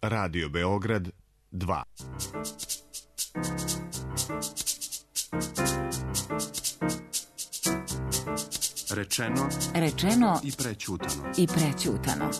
Radio Beograd 2. Rečeno i prećutano.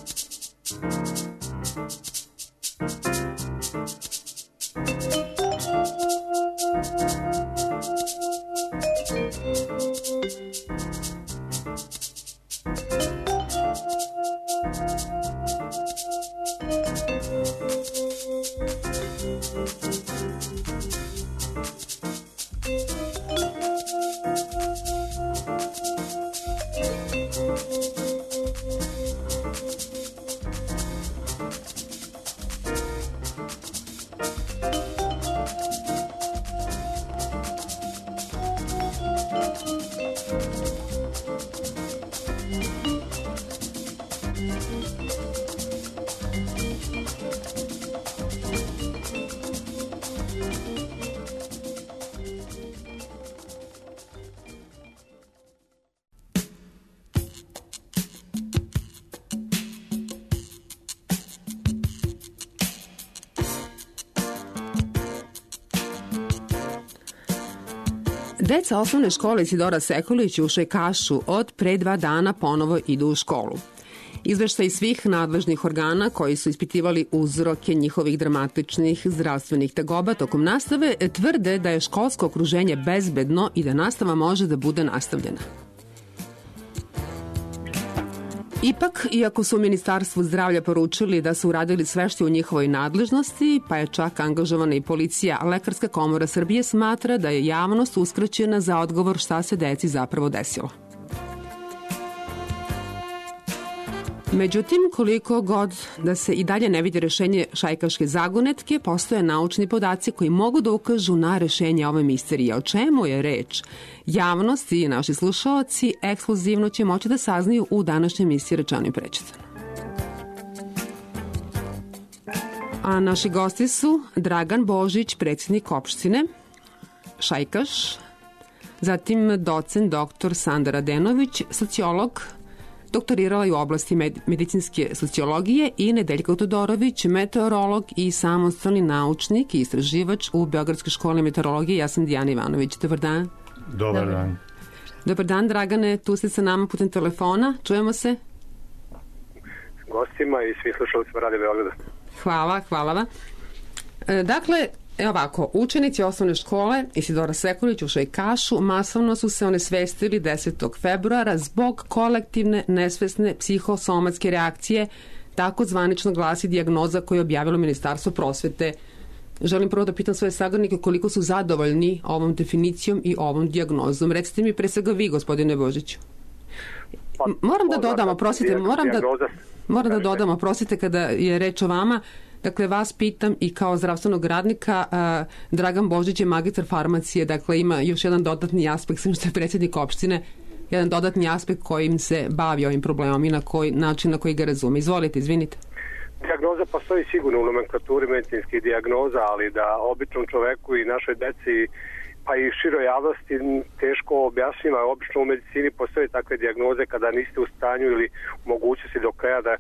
Deca osnovne škole Isidora Sekulić u Šajkašu od pre 2 dana ponovo idu u školu. Izveštaj svih nadležnih organa koji su ispitivali uzroke njihovih dramatičnih zdravstvenih tegoba tokom nastave tvrde da je školsko okruženje bezbedno i da nastava može da bude nastavljena. Ipak, iako su u Ministarstvu zdravlja poručili da su uradili sve što je u njihovoj nadležnosti, pa je čak angažovana i policija, Lekarska komora Srbije smatra da je javnost uskraćena za odgovor šta se deci zapravo desilo. Međutim, koliko god da se i dalje ne vidi rešenje šajkaške zagonetke, postoje naučni podaci koji mogu da ukažu na rešenje ove misterije. O čemu je reč? Javnost i naši slušaoci ekskluzivno će moći da saznaju u današnjoj emisiji Rečeno i prećutano. A naši gosti su Dragan Božić, predsjednik opštine Šajkaš, zatim docent dr. Sanda Radenović, sociolog, doktorirala je u oblasti medicinske sociologije, i Nedeljka Todorović, meteorolog i samostalni naučnik i istraživač u Beogradskoj školi meteorologije. Ja sam Dijana Ivanović. Dobar dan. Dobar dan. Dobar dan, Dragane, tu ste sa nama putem telefona. Čujemo se? Gostima i svi slušalcima Radio Beograda. Hvala vam. Dakle, evo ovako, učenici osnovne škole Isidora Sekulić u Šajkašu masovno su se onesvestili 10. februara zbog kolektivne nesvesne psihosomatske reakcije, tako zvanično glasi dijagnoza koju je objavilo Ministarstvo prosvete. Želim prvo da pitam svoje sagovornike koliko su zadovoljni ovom definicijom i ovom dijagnozom. Recite mi pre svega vi, gospodine Božiću. Moram da dodam, oprostite, kada je reč o vama. Dakle, vas pitam i kao zdravstvenog radnika, Dragan Božić je magistar farmacije, dakle ima još jedan dodatni aspekt, što je predsjednik opštine, jedan dodatni aspekt kojim se bavi ovim problemom i na koji način na koji ga razume. Izvolite, izvinite. Dijagnoza postoji sigurno u nomenklaturi medicinskih dijagnoza, ali da običnom čoveku i našoj deci pa i široj javnosti teško objasnima. Obično u medicini postoje takve dijagnoze kada niste u stanju ili u mogućnosti do kraja da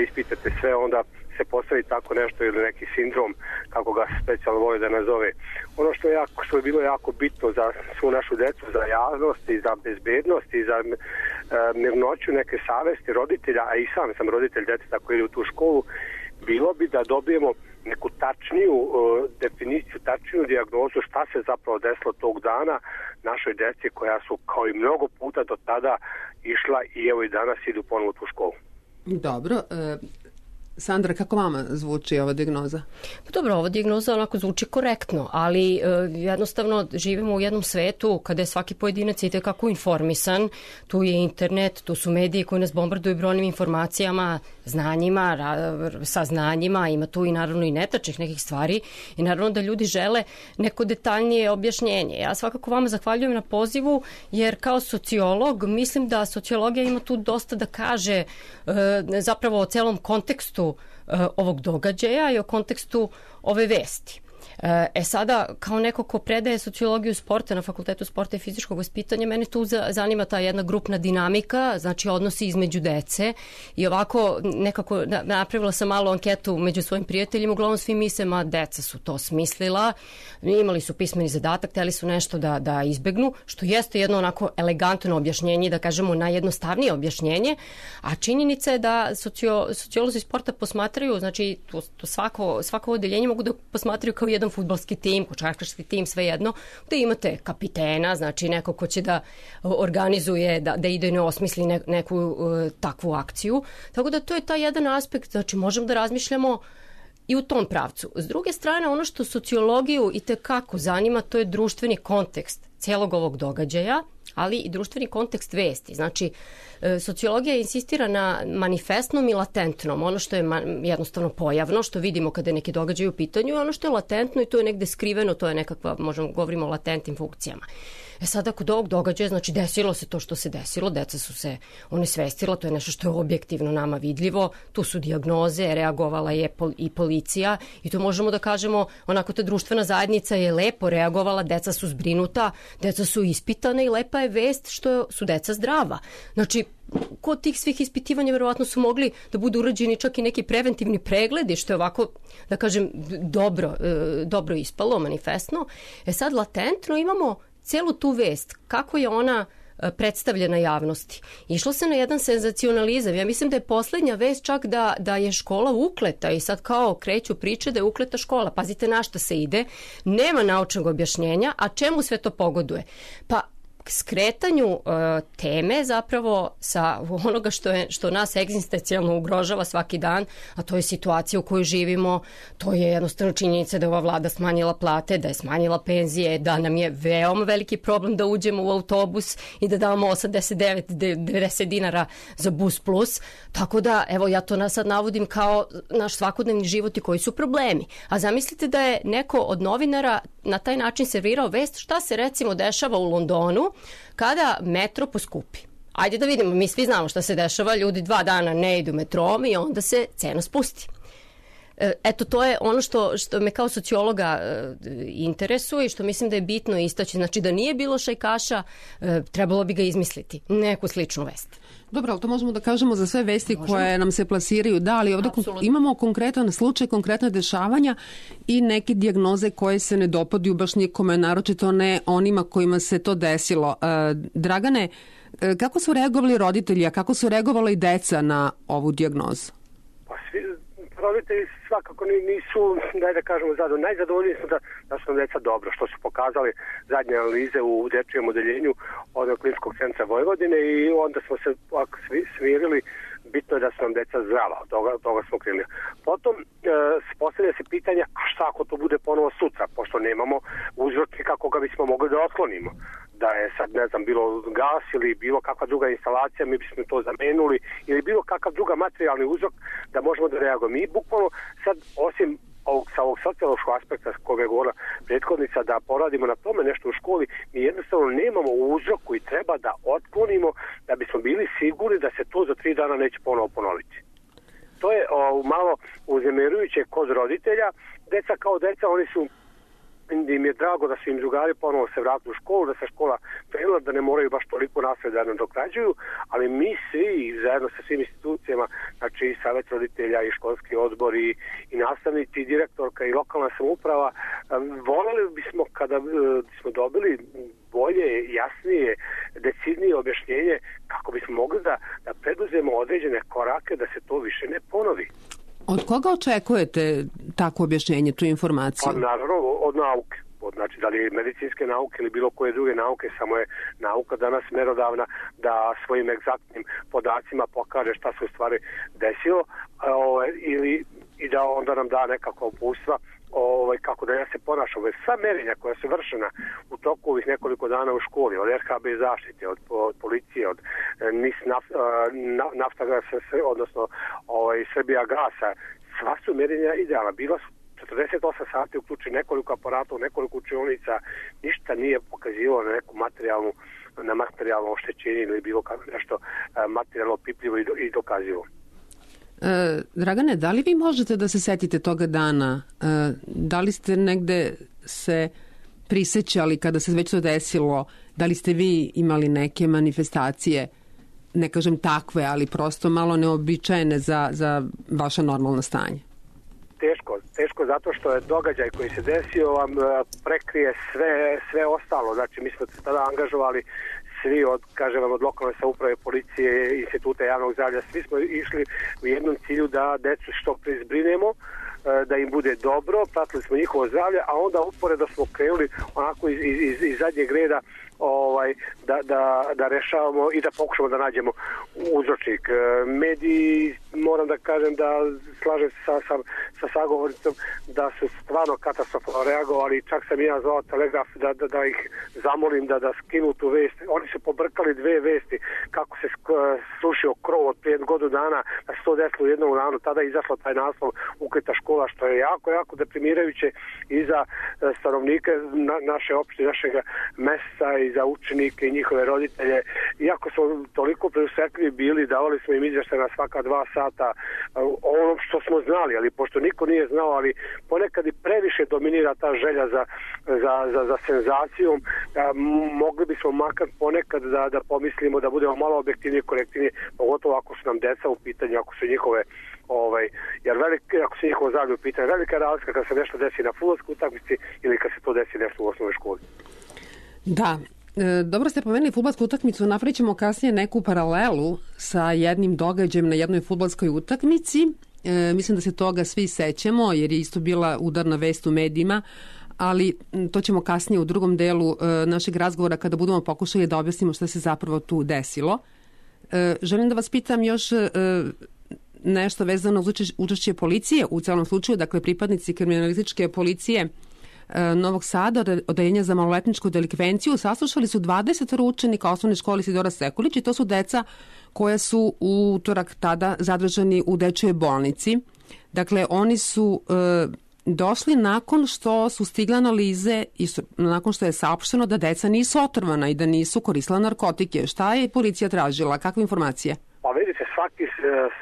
ispitate sve, onda se postavi tako nešto ili neki sindrom, kako ga specijalno vole da nazove. Ono što je bilo jako bitno za svu našu decu, za javnost i za bezbednost i za mirnoću neke savesti roditelja, a i sam sam roditelj djeteta koji ide u tu školu, bilo bi da dobijemo neku tačniju definiciju, tačniju dijagnozu šta se zapravo desilo tog dana našoj djeci koja su kao i mnogo puta do tada išla i evo i danas idu ponovo u tu školu. Dobro. Sandra, kako vama zvuči ova dijagnoza? Dobro, ova dijagnoza onako zvuči korektno, ali jednostavno živimo u jednom svetu kada je svaki pojedinac itekako informisan. Tu je internet, tu su mediji koji nas bombarduju brojnim informacijama, znanjima, saznanjima, ima tu i naravno i netačnih nekih stvari i naravno da ljudi žele neko detaljnije objašnjenje. Ja svakako vama zahvaljujem na pozivu, jer kao sociolog mislim da sociologija ima tu dosta da kaže zapravo o celom kontekstu ovog događaja i o kontekstu ove vesti. Sada, kao neko ko predaje sociologiju sporta na Fakultetu sporta i fizičkog vaspitanja, mene tu zanima ta jedna grupna dinamika, znači odnosi između dece i ovako nekako napravila sam malu anketu među svojim prijateljima, uglavnom svi misle, ma deca su to smislila, imali su pismeni zadatak, hteli su nešto da izbegnu, što jeste jedno onako elegantno objašnjenje, da kažemo najjednostavnije objašnjenje, a činjenica je da sociolozi sporta posmatraju, znači to svako odeljenje mogu da posmatraju kao jedan fudbalski tim, košarkaški tim, svejedno, da imate kapitena, znači neko ko će da organizuje, da ide i ne osmisli neku takvu akciju. Tako da to je taj jedan aspekt, znači možemo da razmišljamo i u tom pravcu. S druge strane, ono što sociologiju i tekako zanima, to je društveni kontekst celog ovog događaja, ali i društveni kontekst vesti. Znači, sociologija insistira na manifestnom i latentnom, ono što je jednostavno pojavno, što vidimo kada je neki događaj u pitanju, i ono što je latentno i to je negde skriveno, to je nekakva, govorimo o latentnim funkcijama. Sada kod ovog događaja, znači desilo se to što se desilo, deca su se onesvestila, to je nešto što je objektivno nama vidljivo, tu su dijagnoze, reagovala je i policija i to možemo da kažemo, onako ta društvena zajednica je lepo reagovala, deca su zbrinuta, deca su ispitane i lepa je vest što su deca zdrava. Znači, kod tih svih ispitivanja verovatno su mogli da budu urađeni čak i neki preventivni pregledi, što je ovako, da kažem, dobro ispalo, manifestno. Sad latentno imamo celu tu vest, kako je ona predstavljena javnosti. Išlo se na jedan senzacionalizam. Ja mislim da je poslednja vest čak da je škola ukleta i sad kao kreću priče da je ukleta škola. Pazite na šta se ide. Nema naučnog objašnjenja, a čemu sve to pogoduje? Pa skretanju teme zapravo sa onoga što nas egzistencijalno ugrožava svaki dan, a to je situacija u kojoj živimo, to je jednostavno činjenica da je ova vlada smanjila plate, da je smanjila penzije, da nam je veoma veliki problem da uđemo u autobus i da damo 89-90 dinara za bus plus, tako da evo ja to sad navodim kao naš svakodnevni život i koji su problemi. A zamislite da je neko od novinara na taj način servirao vest šta se recimo dešava u Londonu kada metro poskupi. Ajde da vidimo, mi svi znamo šta se dešava, ljudi 2 dana ne idu metrom i onda se cena spusti. Eto, to je ono što me kao sociologa interesuje i što mislim da je bitno istaći. Znači da nije bilo šajkaša, trebalo bi ga izmisliti, neku sličnu vest. Dobro, ali to možemo da kažemo za sve vesti koje nam se plasiraju. Da, ali ovdje imamo konkretan slučaj, konkretne dešavanja i neke dijagnoze koje se ne dopaduju baš nikome, naročito ne onima kojima se to desilo. Dragane, kako su reagovali roditelji, a kako su reagovala i deca na ovu dijagnozu? Pa svi roditelji svakako nisu, da kažemo, najzadovoljniji su da su nam deca dobro, što su pokazali zadnje analize u dečijem odeljenju od Kliničkog centra Vojvodine i onda smo se smirili, bitno je da su nam deca zdrava, od toga smo krenuli. Potom postavlja se pitanje, a šta ako to bude ponovo sutra, pošto nemamo uzročnika koga bismo mogli da otklonimo. Da je sad, ne znam, bilo gas ili bilo kakva druga instalacija, mi bismo to zamenuli ili bilo kakav druga materijalni uzrok da možemo da reagujemo. Mi bukvalno sad, osim sa ovog sociološkog aspekta koga je govorila prethodnica, da poradimo na tome nešto u školi, mi jednostavno nemamo uzrok koji treba da otklonimo da bismo bili sigurni da se to za 3 dana neće ponovo ponoviti. To je malo uznemirujuće kod roditelja. Deca kao deca, oni su, im je drago da su im drugari ponovo se vratili u školu, da se škola krenula, da ne moraju baš toliko nasled da nadoknađuju, ali mi svi zajedno sa svim institucijama, znači i savjet roditelja i školski odbor i nastavnici i direktorka i lokalna samouprava, voljeli bismo kada smo dobili bolje, jasnije, decidnije objašnjenje kako bismo mogli da preduzemo određene korake da se to više ne ponovi. Od koga očekujete tako objašnjenje, tu informaciju? Pa naravno od nauke. Znači, da li medicinske nauke ili bilo koje druge nauke, samo je nauka danas merodavna da svojim egzaktnim podacima pokaže šta se u stvari desilo i da onda nam da nekako uputstva kako da ja se ponašam. Sva merenja koja su vršena u toku ovih nekoliko dana u školi, od RHB zaštite, od policije, od NIS Naftagasa, odnosno Srbija gasa, sva su merenja idealna. Bila su 48 sati uključi nekoliko aparata, nekoliko učionica, ništa nije pokazivalo na neku materijalno oštećenje ili bilo kako nešto materijalno pipljivo i dokazivo. Dragane, da li vi možete da se setite toga dana? Da li ste negde se prisećali kada se već to desilo? Da li ste vi imali neke manifestacije, ne kažem takve, ali prosto malo neobičajene za vaše normalno stanje? Teško zato što je događaj koji se desio vam prekrije sve ostalo. Znači, mi smo se tada angažovali svi od lokalne samouprave, policije, instituta javnog zdravlja. Svi smo išli u jednom cilju da decu što pre zbrinemo, da im bude dobro, pratili smo njihovo zdravlje, a onda uporedo smo krenuli onako iz zadnjeg reda da rešavamo i da pokušamo da nađemo uzročnik. Mediji, moram da kažem da slažem se sa sagovornicom da su stvarno katastrofalno reagovali, čak sam i ja zvao Telegraf da ih zamolim da skinu tu vest. Oni su pobrkali dve vesti, kako se srušio krov od prije godinu dana, da se to desilo u jednom danu, tada je izašlo taj naslov Ukrita škola, što je jako deprimirajuće i za stanovnike naše opštine, našeg mesta i za učenike i njihove roditelje. Iako smo toliko preusretljivi bili, davali smo im izveštaj na svaka 2 sata ono što smo znali, ali pošto niko nije znao, ali ponekad i previše dominira ta želja za senzacijom, mogli bismo makar ponekad da pomislimo da budemo malo objektivniji i korektivniji, pogotovo ako su nam deca u pitanju, ako su njihove jer ako se njihovo zdravlje u pitanju, velika razlika kad se nešto desi na fudbalskoj utakmici ili kad se to desi nešto u osnovnoj školi. Da, dobro ste pomenuli fudbalsku utakmicu, napravit ćemo kasnije neku paralelu sa jednim događajem na jednoj fudbalskoj utakmici. Mislim da se toga svi sećamo jer je isto bila udarna vest u medijima, ali to ćemo kasnije u drugom delu našeg razgovora kada budemo pokušali da objasnimo šta se zapravo tu desilo. Želim da vas pitam još nešto vezano uz učešće policije u celom slučaju, dakle pripadnici kriminalističke policije Novog Sada, odeljenja za maloletničku delikvenciju, saslušali su 20 učenika osnovne škole Isidora Sekulić i to su deca koja su u utorak tada zadržani u dečjoj bolnici. Dakle, oni su došli nakon što su stigle analize i nakon što je saopšteno da deca nisu otrovana i da nisu koristila narkotike. Šta je policija tražila? Kakve informacije? Pa vidite,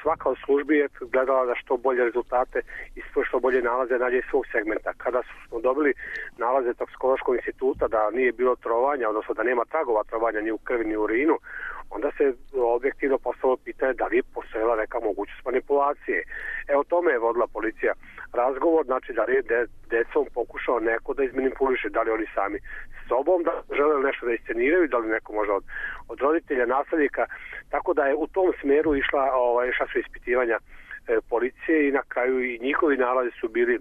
svaka od službi je gledala da što bolje rezultate i što bolje nalaze nađe iz svog segmenta. Kada smo dobili nalaze toksikološkog instituta da nije bilo trovanja, odnosno da nema tragova trovanja ni u krvi ni u urinu, onda se objektivno postavilo pitanje da li je postojala neka mogućnost manipulacije. O tome je vodila policija razgovor, znači da li je decom pokušao neko da izmanipuliše, da li oni sami s sobom da žele nešto da isceniraju, da li neko možda od roditelja, nastavnika, tako da je u tom smeru išla su ispitivanja policije i na kraju i njihovi nalazi su bili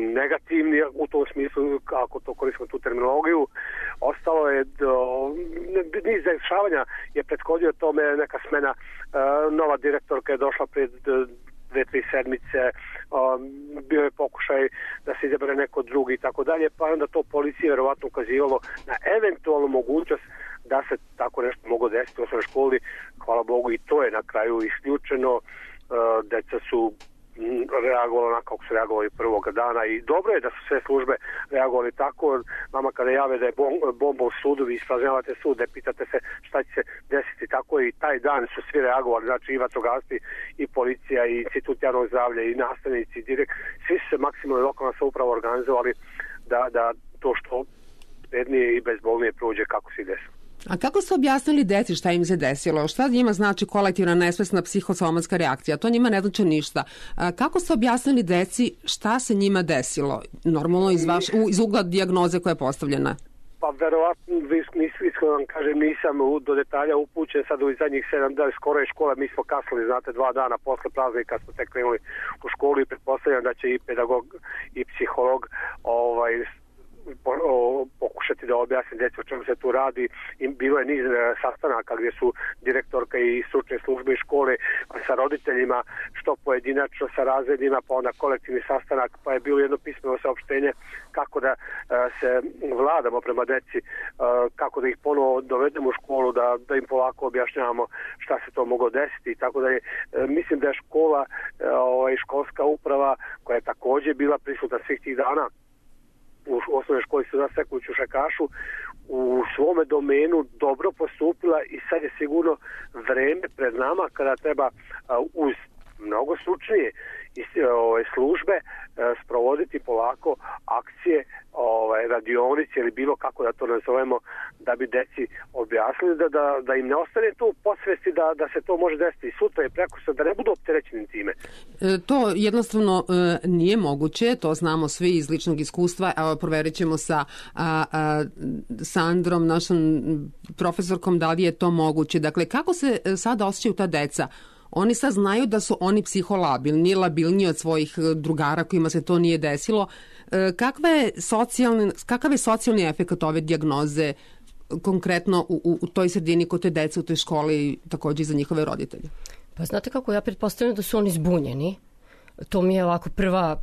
negativni u tom smislu, ako to koristimo tu terminologiju. Ostalo je niz dešavanja je prethodio tome, neka smena, nova direktorka je došla pred 2-3 sedmice, bio je pokušaj da se izabere neko drugi i tako dalje, pa onda to policija verovatno ukazivalo na eventualnu mogućnost da se tako nešto moglo desiti u osnovnoj školi. Hvala Bogu i to je na kraju isključeno. Deca su reagovali onako kako su reagovali prvog dana i dobro je da su sve službe reagovali tako. Nama kada jave da je bomba u sudu, vi ispražnjavate sud, ne pitate se šta će se desiti, tako i taj dan su svi reagovali, znači i vatrogasci i policija i institut javnog zdravlja i nastavnici i svi su se maksimalno lokalna samouprava organizovali da to što bednije i bezbolnije prođe kako se desilo. A kako ste objasnili deci šta im se desilo? Šta njima znači kolektivna nesvesna psihosomatska reakcija? To njima ne znači ništa. Kako ste objasnili deci šta se njima desilo? Normalno iz ugla dijagnoze koja je postavljena. Pa verovatno, iskreno vam kažem, nisam do detalja upućen sad u zadnjih 7 dana, skoro je škola, mi smo kasnili, znate, 2 dana posle praznika smo tek krenuli u školu i pretpostavljam da će i pedagog i psiholog pokušati da objasni deci o čemu se tu radi. Bilo je niz sastanaka gdje su direktorka i stručne službe i škole sa roditeljima, što pojedinačno sa razredima, pa onda kolektivni sastanak, pa je bilo jedno pismeno saopštenje kako da se vladamo prema deci, kako da ih ponovo dovedemo u školu, da im polako objašnjavamo šta se to moglo desiti i tako dalje. Mislim da je škola i školska uprava koja je također bila prisutna svih tih dana u osnovnoj školi Isidora Sekulić u Šajkašu u svome domenu dobro postupila i sad je sigurno vreme pred nama kada treba uz mnogo stručnije službe sprovoditi polako akcije, radionice ili bilo kako da to nazovemo, da bi deci objasnili da im ne ostane to u podsvesti da se to može desiti i sutra i prekosutra, da ne budu opterećeni time. To jednostavno nije moguće, to znamo svi iz ličnog iskustva. Evo, proverit ćemo sa Sandrom, našom profesorkom, da li je to moguće. Dakle, kako se sada osjećaju ta deca? Oni sad znaju da su oni psiholabilni, labilniji od svojih drugara kojima se to nije desilo. Kakav je socijalni efekt ove dijagnoze konkretno u toj sredini kod te dece u toj školi i također i za njihove roditelje? Pa znate kako, ja pretpostavljam da su oni zbunjeni. To mi je ovako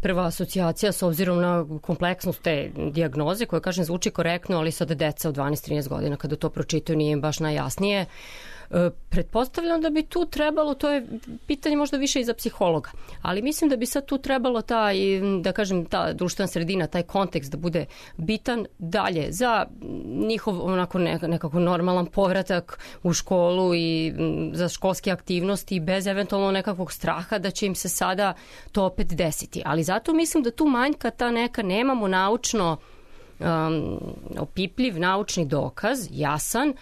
prva asocijacija s obzirom na kompleksnost te dijagnoze koja, kažem, zvuči korektno, ali sada deca od 12-13 godina kada to pročitaju nije im baš najjasnije. Pretpostavljam da bi tu trebalo, to je pitanje možda više i za psihologa, ali mislim da bi sad tu trebalo ta društvena sredina, taj kontekst da bude bitan dalje za njihov onako nekako normalan povratak u školu i za školske aktivnosti bez eventualno nekakvog straha da će im se sada to opet desiti. Ali zato mislim da tu manjka ta neka, nemamo naučno opipljiv naučni dokaz, jasan,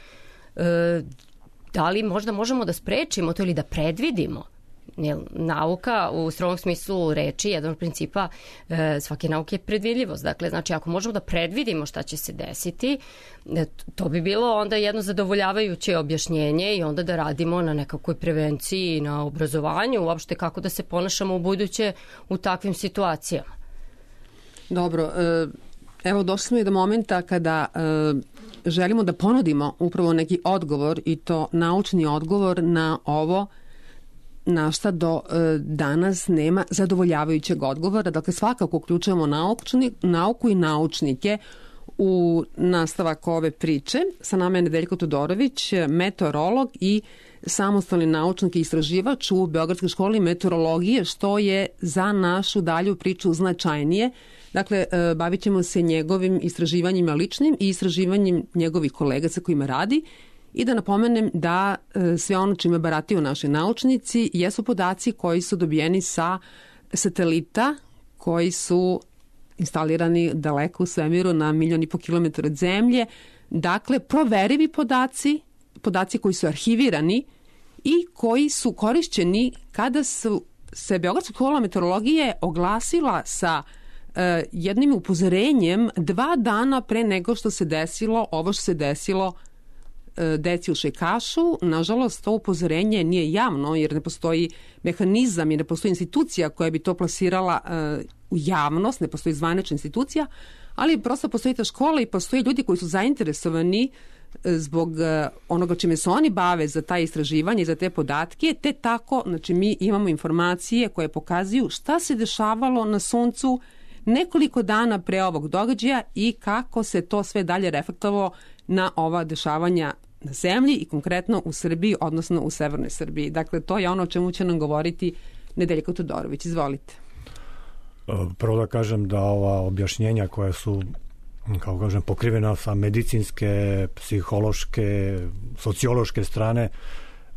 da li možda možemo da sprečimo to ili da predvidimo. Nauka u strogom smislu reči, jedan od principa svake nauke je predvidljivost. Dakle, znači ako možemo da predvidimo šta će se desiti, to bi bilo onda jedno zadovoljavajuće objašnjenje i onda da radimo na nekakvoj prevenciji, na obrazovanju, uopšte kako da se ponašamo u buduće u takvim situacijama. Dobro, evo došli smo i do momenta kada želimo da ponudimo upravo neki odgovor i to naučni odgovor na ovo na šta do danas nema zadovoljavajućeg odgovora. Dakle, svakako uključujemo nauku i naučnike u nastavak ove priče. Sa nama je Nedeljko Todorović, meteorolog i samostalni naučnik i istraživač u Beogradskoj školi meteorologije, što je za našu dalju priču značajnije. Dakle, bavit ćemo se njegovim istraživanjima ličnim i istraživanjem njegovih kolega sa kojima radi. I da napomenem da sve ono čime barataju naši naučnici jesu podaci koji su dobijeni sa satelita koji su instalirani daleko u svemiru na 1,5 miliona kilometara od zemlje. Dakle, proverivi podaci koji su arhivirani i koji su korišćeni kada se Beogradska škola meteorologije oglasila sa jednim upozorenjem 2 dana pre nego što se desilo ovo što se desilo deci u Šejkašu. Nažalost, to upozorenje nije javno jer ne postoji mehanizam i ne postoji institucija koja bi to plasirala u javnost, ne postoji zvanična institucija, ali prosto postoji ta škola i postoji ljudi koji su zainteresovani zbog onoga čime se oni bave za taj istraživanje i za te podatke, te tako, znači mi imamo informacije koje pokazuju šta se dešavalo na Suncu nekoliko dana pre ovog događaja i kako se to sve dalje reflektovalo na ova dešavanja na zemlji i konkretno u Srbiji, odnosno u severnoj Srbiji. Dakle, to je ono o čemu će nam govoriti Nedeljko Todorović. Izvolite. Prvo da kažem da ova objašnjenja koja su, kako kažem, pokrivena sa medicinske, psihološke, sociološke strane,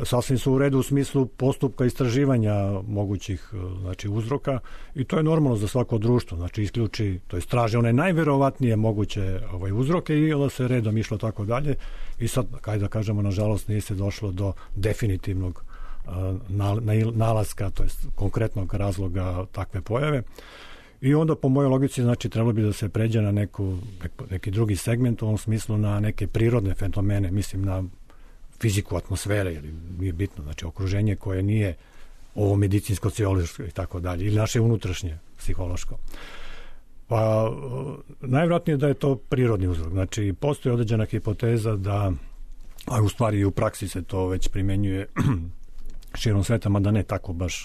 sasvim su u redu u smislu postupka istraživanja mogućih, znači, uzroka i to je normalno za svako društvo, znači isključi, to je traže one najverovatnije moguće uzroke i onda se redom išlo tako dalje i sad, kaj da kažemo, nažalost nije se došlo do definitivnog nalaska, to je konkretnog razloga takve pojave. I onda po mojoj logici, znači, trebalo bi da se pređe na neki drugi segment, u ovom smislu na neke prirodne fenomene, mislim na fiziku atmosfere, ili nije bitno, znači okruženje koje nije ovo medicinsko, sociološko i tako dalje, ili naše unutrašnje psihološko. Pa najvjerojatnije da je to prirodni uzrok. Znači, postoji određena hipoteza da, a u stvari i u praksi se to već primenjuje širom sveta, mada ne tako baš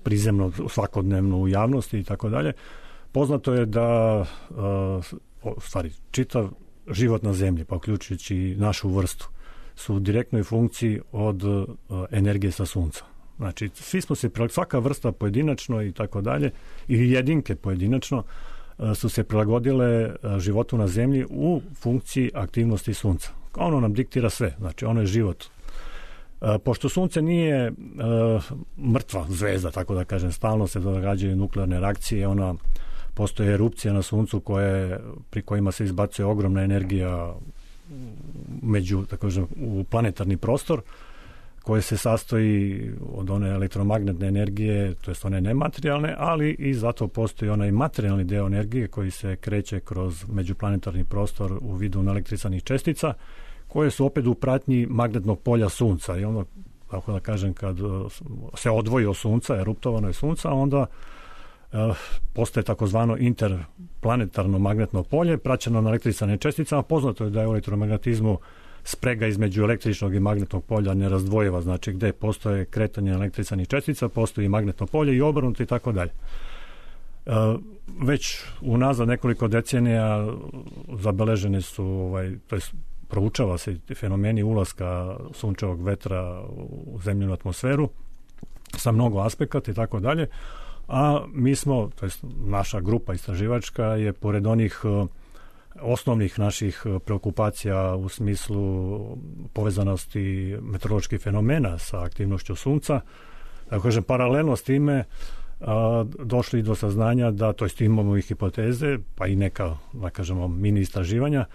prizemno, svakodnevno u javnosti i tako dalje. Poznato je da u stvari čitav život na zemlji, pa uključujući i našu vrstu, su u direktnoj funkciji od energije sa sunca. Znači, svi smo se, svaka vrsta pojedinačno i tako dalje, ili jedinke pojedinačno, su se prilagodile životu na zemlji u funkciji aktivnosti sunca. Ono nam diktira sve, znači ono je život. Pošto sunce nije mrtva zvezda, tako da kažem, stalno se događaju nuklearne reakcije, postoje erupcije na suncu pri kojima se izbacuje ogromna energija u planetarni prostor, koje se sastoji od one elektromagnetne energije, to jest one nematerijalne, ali i zato postoji onaj materijalni deo energije koji se kreće kroz međuplanetarni prostor u vidu električnih čestica, koje su opet u pratnji magnetnog polja sunca. I ono, tako da kažem, kad se odvoji od sunca, eruptovano je sunca, onda postaje takozvano interplanetarno magnetno polje, praćeno na električnim česticama. Poznato je da je u elektromagnetizmu sprega između električnog i magnetnog polja nerazdvojiva, znači gde postoje kretanje električnih čestica, postoji magnetno polje i obrnuto i tako dalje. Već unazad nekoliko decenija zabeležene su, to jest proučava se fenomeni ulaska sunčevog vetra u zemljenu atmosferu sa mnogo aspekata i tako dalje, a mi smo, to jest naša grupa istraživačka je pored onih osnovnih naših preokupacija u smislu povezanosti meteoroloških fenomena sa aktivnošću sunca, da kažem, paralelno s time došli do saznanja da, to jest imamo i hipoteze, pa i neka, da kažemo, mini istraživanja,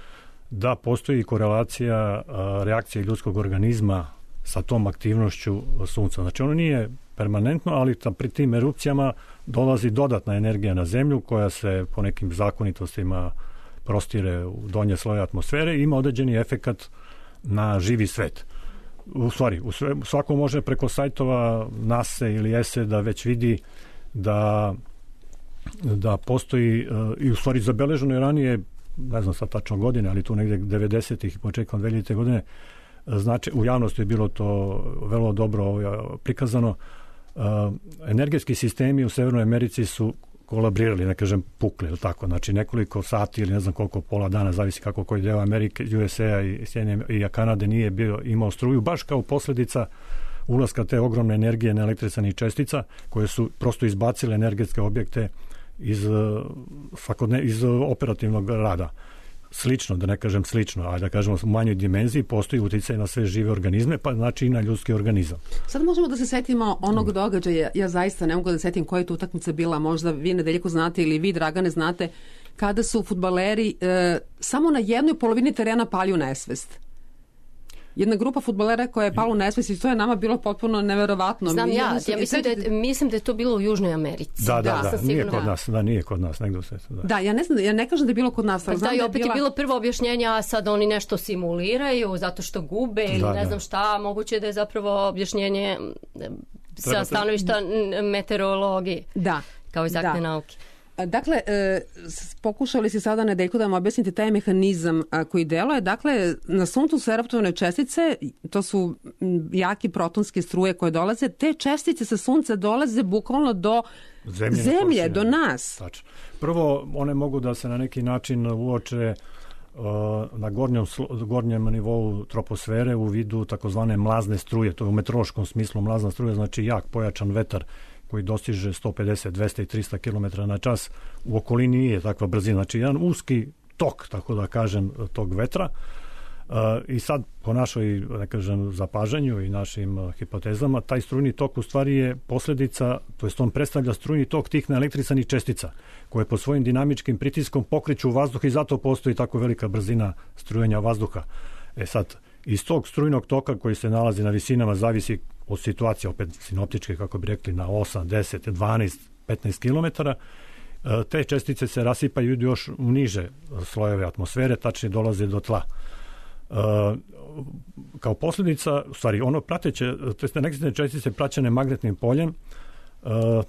da postoji korelacija reakcije ljudskog organizma sa tom aktivnošću sunca. Znači ono nije permanentno, ali pri tim erupcijama dolazi dodatna energija na zemlju koja se po nekim zakonitostima prostire u donje sloje atmosfere i ima određeni efekat na živi svet. U stvari, svako može preko sajtova NASA ili ESE da već vidi da postoji, i u stvari zabeleženo je ranije, ne znam sad tačno godine, ali tu negde 90-ih i početkom 2000. godine, znači u javnosti je bilo to vrlo dobro prikazano. Energetski sistemi u Severnoj Americi su kolabrirali, ne kažem pukli, ili tako, znači nekoliko sati ili ne znam koliko, pola dana, zavisi kako koji deo Amerike, USA i Kanade nije imao struju, baš kao posljedica ulaska te ogromne energije na električnih čestica koje su prosto izbacile energetske objekte iz operativnog rada. Slično, da ne kažem slično, a da kažemo u manjoj dimenziji, postoji uticaj na sve žive organizme, pa znači i na ljudski organizam. Sad možemo da se setimo onog događaja, ja zaista ne mogu da setim koja je tu utakmica bila, možda vi Nedeljko znate ili vi Dragane znate, kada su fudbaleri samo na jednoj polovini terena pali u nesvest. Jedna grupa fudbalera koja je pala u nesvest i to je nama bilo potpuno neverovatno. Znam mislim da je to bilo u Južnoj Americi. Da, nije kod nas, negdje se. Da, ja ne kažem da je bilo kod nas. Da, i opet je bilo prvo objašnjenje, a sad oni nešto simuliraju zato što gube ili ne znam šta, moguće da je zapravo objašnjenje sa stanovišta meteorologije. Da. Kao egzaktne nauke. Dakle, pokušali si sada Nedeljko da vam objasnite taj mehanizam koji deluje. Dakle, na suncu su eruptovane čestice, to su jaki protonske struje koje dolaze. Te čestice sa sunca dolaze bukvalno do zemlje, do nas. Tačno. Prvo, one mogu da se na neki način uoče na gornjem nivou troposfere u vidu takozvane mlazne struje. To je u meteorološkom smislu mlazna struja, znači jak pojačan vetar koji dostiže 150, 200 i 300 km na čas, u okolini nije takva brzina. Znači, jedan uski tok, tako da kažem, tog vetra. I sad, po našoj, da kažem, zapažanju i našim hipotezama, taj strujni tok u stvari je posljedica, to jest on predstavlja strujni tok tih naelektrisanih čestica, koje pod svojim dinamičkim pritiskom pokreću vazduh i zato postoji tako velika brzina strujanja vazduha. Sad, iz tog strujnog toka koji se nalazi na visinama zavisi od situacije, opet sinoptičke, kako bi rekli, na 8, 10, 12, 15 km, te čestice se rasipaju još u niže slojeve atmosfere, tačnije dolaze do tla. Kao posljedica, u stvari, ono prateće, to jest neke čestice praćene magnetnim poljem,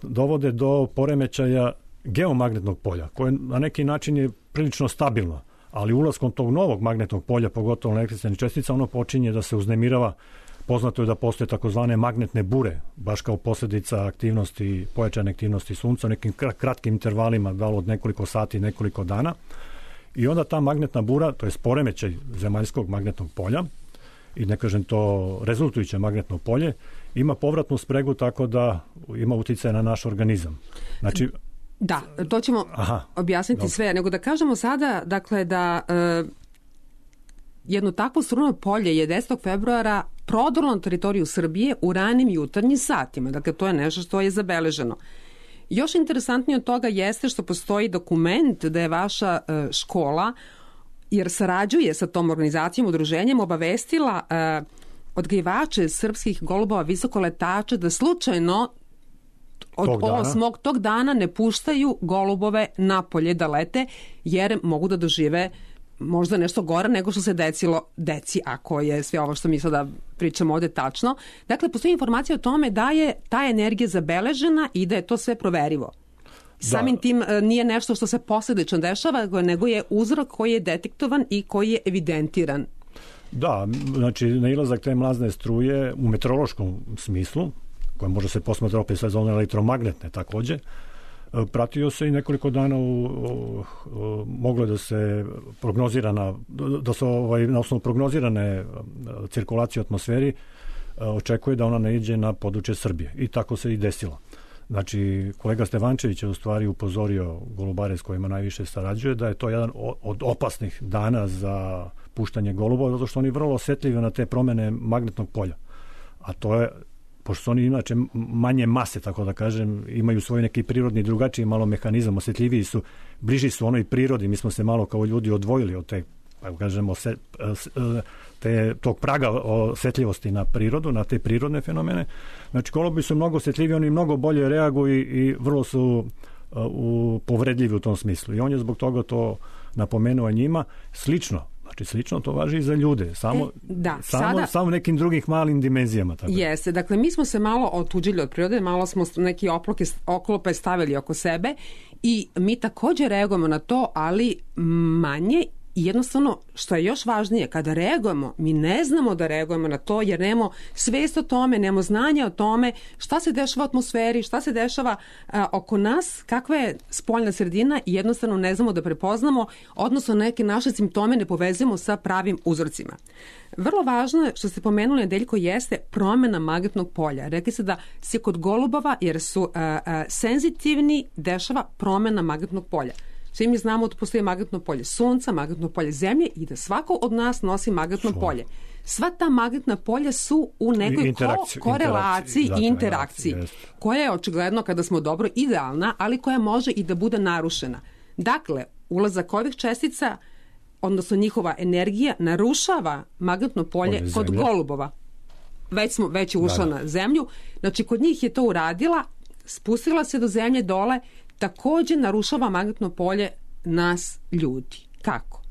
dovode do poremećaja geomagnetnog polja, koje na neki način je prilično stabilno, ali ulaskom tog novog magnetnog polja, pogotovo električnih čestica, ono počinje da se uznemirava. Poznato je da postoje takozvane magnetne bure, baš kao posljedica aktivnosti, pojačane aktivnosti sunca u nekim kratkim intervalima, da li od nekoliko sati, nekoliko dana. I onda ta magnetna bura, to je poremećaj zemaljskog magnetnog polja, i ne kažem to rezultujuće magnetno polje, ima povratnu spregu tako da ima utjecaj na naš organizam. Znači, Da, to ćemo objasniti sve, nego da kažemo sada, dakle, da jedno takvo strujno polje je 10. februara prodrlo na teritoriju Srbije u ranim jutarnjim satima. Dakle, to je nešto što je zabeleženo. Još interesantnije od toga jeste što postoji dokument da je vaša škola, jer sarađuje sa tom organizacijom, udruženjem, obavestila odgajivače srpskih golubova visokoletača da slučajno od 8. tog dana ne puštaju golubove napolje da lete, jer mogu da dožive možda nešto gore nego što se desilo deci, ako je sve ovo što mi sada pričamo ovde tačno. Dakle, postoji informacija o tome da je ta energija zabeležena i da je to sve proverivo. Samim tim nije nešto što se posljedično dešava, nego je uzrok koji je detektovan i koji je evidentiran. Da, znači nailazak te mlazne struje u meteorološkom smislu, koja može se posmatra opet sve zone elektromagnetne takođe, pratio se i nekoliko dana moglo da se prognozirana, da se na osnovu prognozirane cirkulacije u atmosferi očekuje da ona naiđe na područje Srbije. I tako se i desilo. Znači, kolega Stevančević je u stvari upozorio golubare s kojima najviše sarađuje da je to jedan od opasnih dana za puštanje golubova, zato što oni vrlo osetljivi na te promene magnetnog polja. A to je, pošto su oni inače manje mase, tako da kažem, imaju svoj neki prirodni drugačiji malo mehanizam, osetljiviji su, bliži su onoj prirodi. Mi smo se malo kao ljudi odvojili od te, kažemo, tog praga osetljivosti na prirodu, na te prirodne fenomene. Znači, golubi su mnogo osetljivi, oni mnogo bolje reaguju i vrlo su povredljivi u tom smislu. I on je zbog toga to napomenuo njima. Slično to važi i za ljude, samo nekim drugih malim dimenzijama. Tako. Jeste, dakle mi smo se malo otuđili od prirode, malo smo neki oklope stavili oko sebe i mi također reagujemo na to, ali manje. I jednostavno, što je još važnije, kada reagujemo, mi ne znamo da reagujemo na to, jer nemamo svest o tome, nemamo znanja o tome šta se dešava u atmosferi, šta se dešava oko nas, kakva je spoljna sredina i jednostavno ne znamo da prepoznamo, odnosno neke naše simptome ne povezujemo sa pravim uzorcima. Vrlo važno je što ste pomenuli, Nedeljko, jeste promjena magnetnog polja. Rekli se da se kod golubova, jer su senzitivni, dešava promjena magnetnog polja. Svi mi znamo da postoji magnetno polje sunca, magnetno polje zemlje i da svako od nas nosi magnetno polje. Sva ta magnetna polja su u nekoj korelaciji i interakciji, koja je očigledno, kada smo dobro, idealna, ali koja može i da bude narušena. Dakle, ulazak ovih čestica, odnosno njihova energija, narušava magnetno polje kod golubova. Već je ušla na zemlju. Znači, kod njih je to uradila, spustila se do zemlje dole, također narušava magnetno polje nas ljudi. Kako?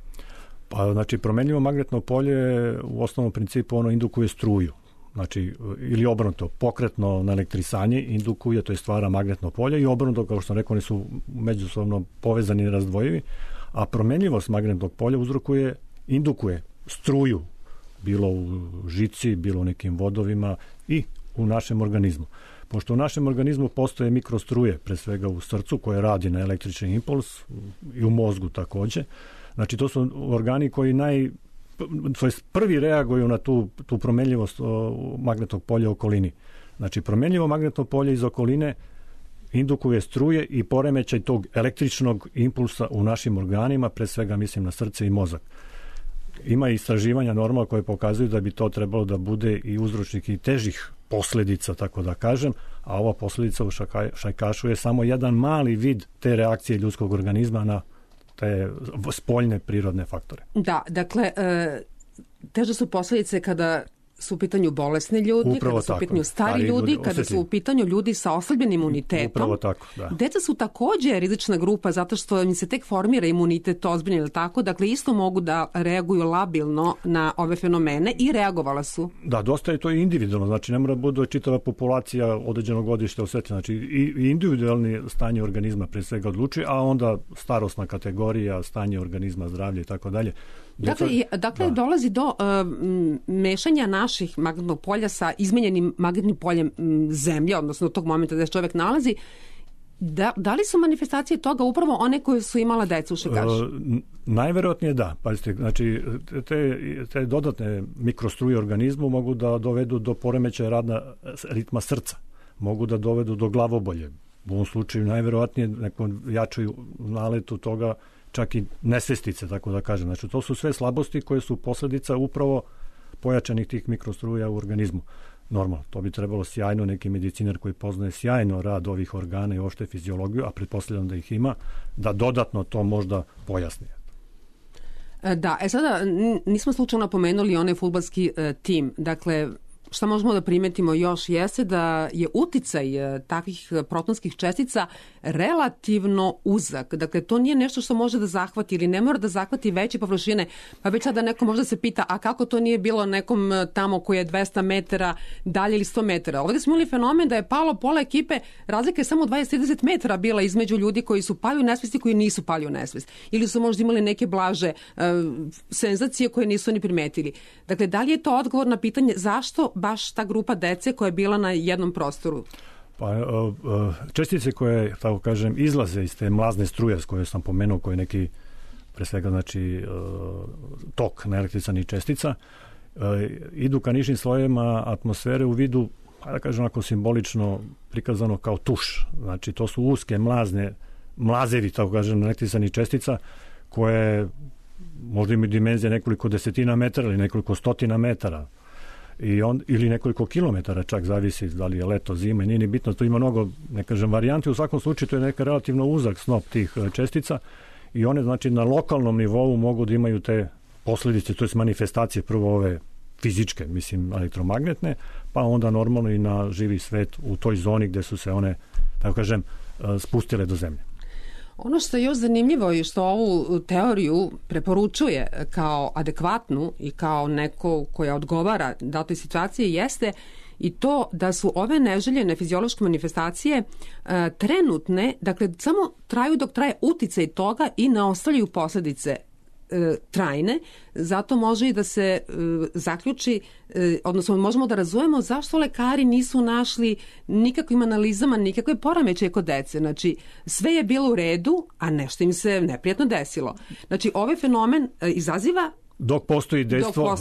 Pa, znači, promenljivo magnetno polje u osnovnom principu ono indukuje struju. Znači, ili obrnuto, pokretno naelektrisanje indukuje, to je stvara magnetno polje i obrnuto, kao što sam rekao, oni su međusobno povezani i razdvojivi, a promenljivost magnetnog polja indukuje struju, bilo u žici, bilo u nekim vodovima i u našem organizmu. Pošto u našem organizmu postoje mikrostruje, pre svega u srcu, koje radi na električni impuls i u mozgu također. Znači, to su organi koji prvi reaguju na tu promenljivost magnetnog polja u okolini. Znači, promenljivo magnetno polje iz okoline indukuje struje i poremećaj tog električnog impulsa u našim organima, pre svega mislim na srce i mozak. Ima istraživanja normalno koje pokazuju da bi to trebalo da bude i uzročnik i težih posljedica, tako da kažem, a ova posljedica u šajkašu je samo jedan mali vid te reakcije ljudskog organizma na te spoljne prirodne faktore. Da, dakle, teže su posljedice kada su u pitanju bolesni ljudi, kada su u pitanju stari ljudi, kada su u pitanju ljudi sa oslabljenim imunitetom. Upravo tako, da. Deca su također rizična grupa zato što im se tek formira imunitet ozbiljno ili tako, dakle isto mogu da reaguju labilno na ove fenomene i reagovala su. Da, dosta je to i individualno, znači ne mora bude čitava populacija određenog godišta osjetljiva, znači i individualni stanje organizma pre svega odlučuje, a onda starosna kategorija, stanje organizma, zdravlje i tako dalje. Dakle, dolazi do mešanja naših magnetnog polja sa izmenjenim magnetnim poljem zemlje, odnosno tog momenta da se čovjek nalazi. Da li su manifestacije toga upravo one koje su imala deca u šajkašu? Najverovatnije da. Pazite, znači, te dodatne mikrostruje organizmu mogu da dovedu do poremećaja ritma srca, mogu da dovedu do glavobolje, u ovom slučaju najverovatnije nekom jačoj naletu toga čak i nesvestice, tako da kažem. Znači, to su sve slabosti koje su posledica upravo pojačanih tih mikrostruja u organizmu. Normalno, to bi trebalo sjajno neki medicinar koji poznaje sjajno rad ovih organa i uopšte fiziologiju, a pretpostavljam da ih ima, da dodatno to možda pojasni. Da, sada nismo slučajno pomenuli onaj fudbalski tim. Dakle, šta možemo da primetimo još jeste da je uticaj takvih protonskih čestica relativno uzak. Dakle, to nije nešto što može da zahvati ili ne mora da zahvati veće površine. Pa već sada neko možda se pita, a kako to nije bilo nekom tamo koji je 200 metara dalje ili 100 metara? Ovdje smo imali fenomen da je palo pola ekipe, razlika je samo 20-30 metara bila između ljudi koji su pali u nesvest i koji nisu pali u nesvest. Ili su možda imali neke blaže senzacije koje nisu ni primetili. Dakle, da li je to odgovor na pitanje zašto baš ta grupa dece koja je bila na jednom prostoru? Pa, čestice koje, tako kažem, izlaze iz te mlazne struje koje sam pomenuo, koje je neki, pre svega, znači, tok naelektrisanih čestica, idu ka nižim slojevima atmosfere u vidu, da kažem, onako simbolično prikazano kao tuš. Znači, to su uske mlazevi, tako kažem, elektrisanih čestica, koje možda imaju dimenzije nekoliko desetina metara ili nekoliko stotina metara. Ili nekoliko kilometara, čak zavisi da li je leto, zima, nije ni bitno, to ima mnogo, ne kažem, varijanti, u svakom slučaju to je neka relativno uzak snop tih čestica i one, znači, na lokalnom nivou mogu da imaju te posledice, to je manifestacije, prvo ove fizičke, mislim, elektromagnetne, pa onda normalno i na živi svet u toj zoni gde su se one, tako kažem, spustile do zemlje. Ono što je još zanimljivo i što ovu teoriju preporučuje kao adekvatnu i kao neko koja odgovara datoj situaciji jeste i to da su ove neželjene fiziološke manifestacije trenutne, dakle samo traju dok traje uticaj toga i ne ostavljaju posledice trajne, zato može i da se zaključi, odnosno možemo da razumemo zašto lekari nisu našli nikakvim analizama nikakve poremećaje kod dece. Znači, sve je bilo u redu, a nešto im se neprijatno desilo. Znači, ovaj fenomen izaziva dok postoji dejstvo,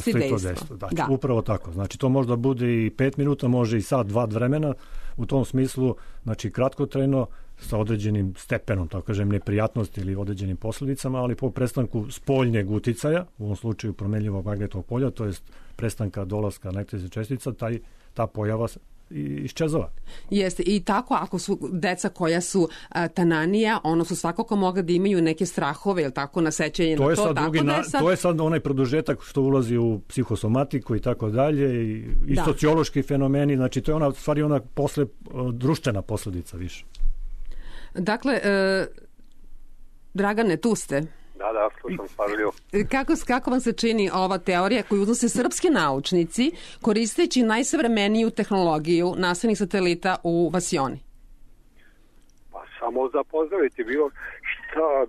da. Upravo tako. Znači, to možda bude i 5 minuta, može i sat, 2 vremena, u tom smislu, znači, kratkotrajno, sa određenim stepenom, tako kažem, neprijatnosti ili određenim posledicama, ali po prestanku spoljnjeg uticaja, u ovom slučaju promenljivog magnetnog polja, to jest prestanka dolaska električnih čestica, ta pojava iščezava. Jeste, i tako ako su deca koja su tananija, ono su svakako mogli da imaju neke strahove, ili tako, na sećanje na to. To je sad onaj produžetak što ulazi u psihosomatiku i tako dalje, i sociološki fenomeni, znači to je ona, stvari ona posle društvena posledica više. Dakle, Dragane, tu ste. Da, slušam pažljivo. Kako vam se čini ova teorija koju uznose srpski naučnici koristeći najsavremeniju tehnologiju nastavnih satelita u Vasioni? Pa samo za pozdraviti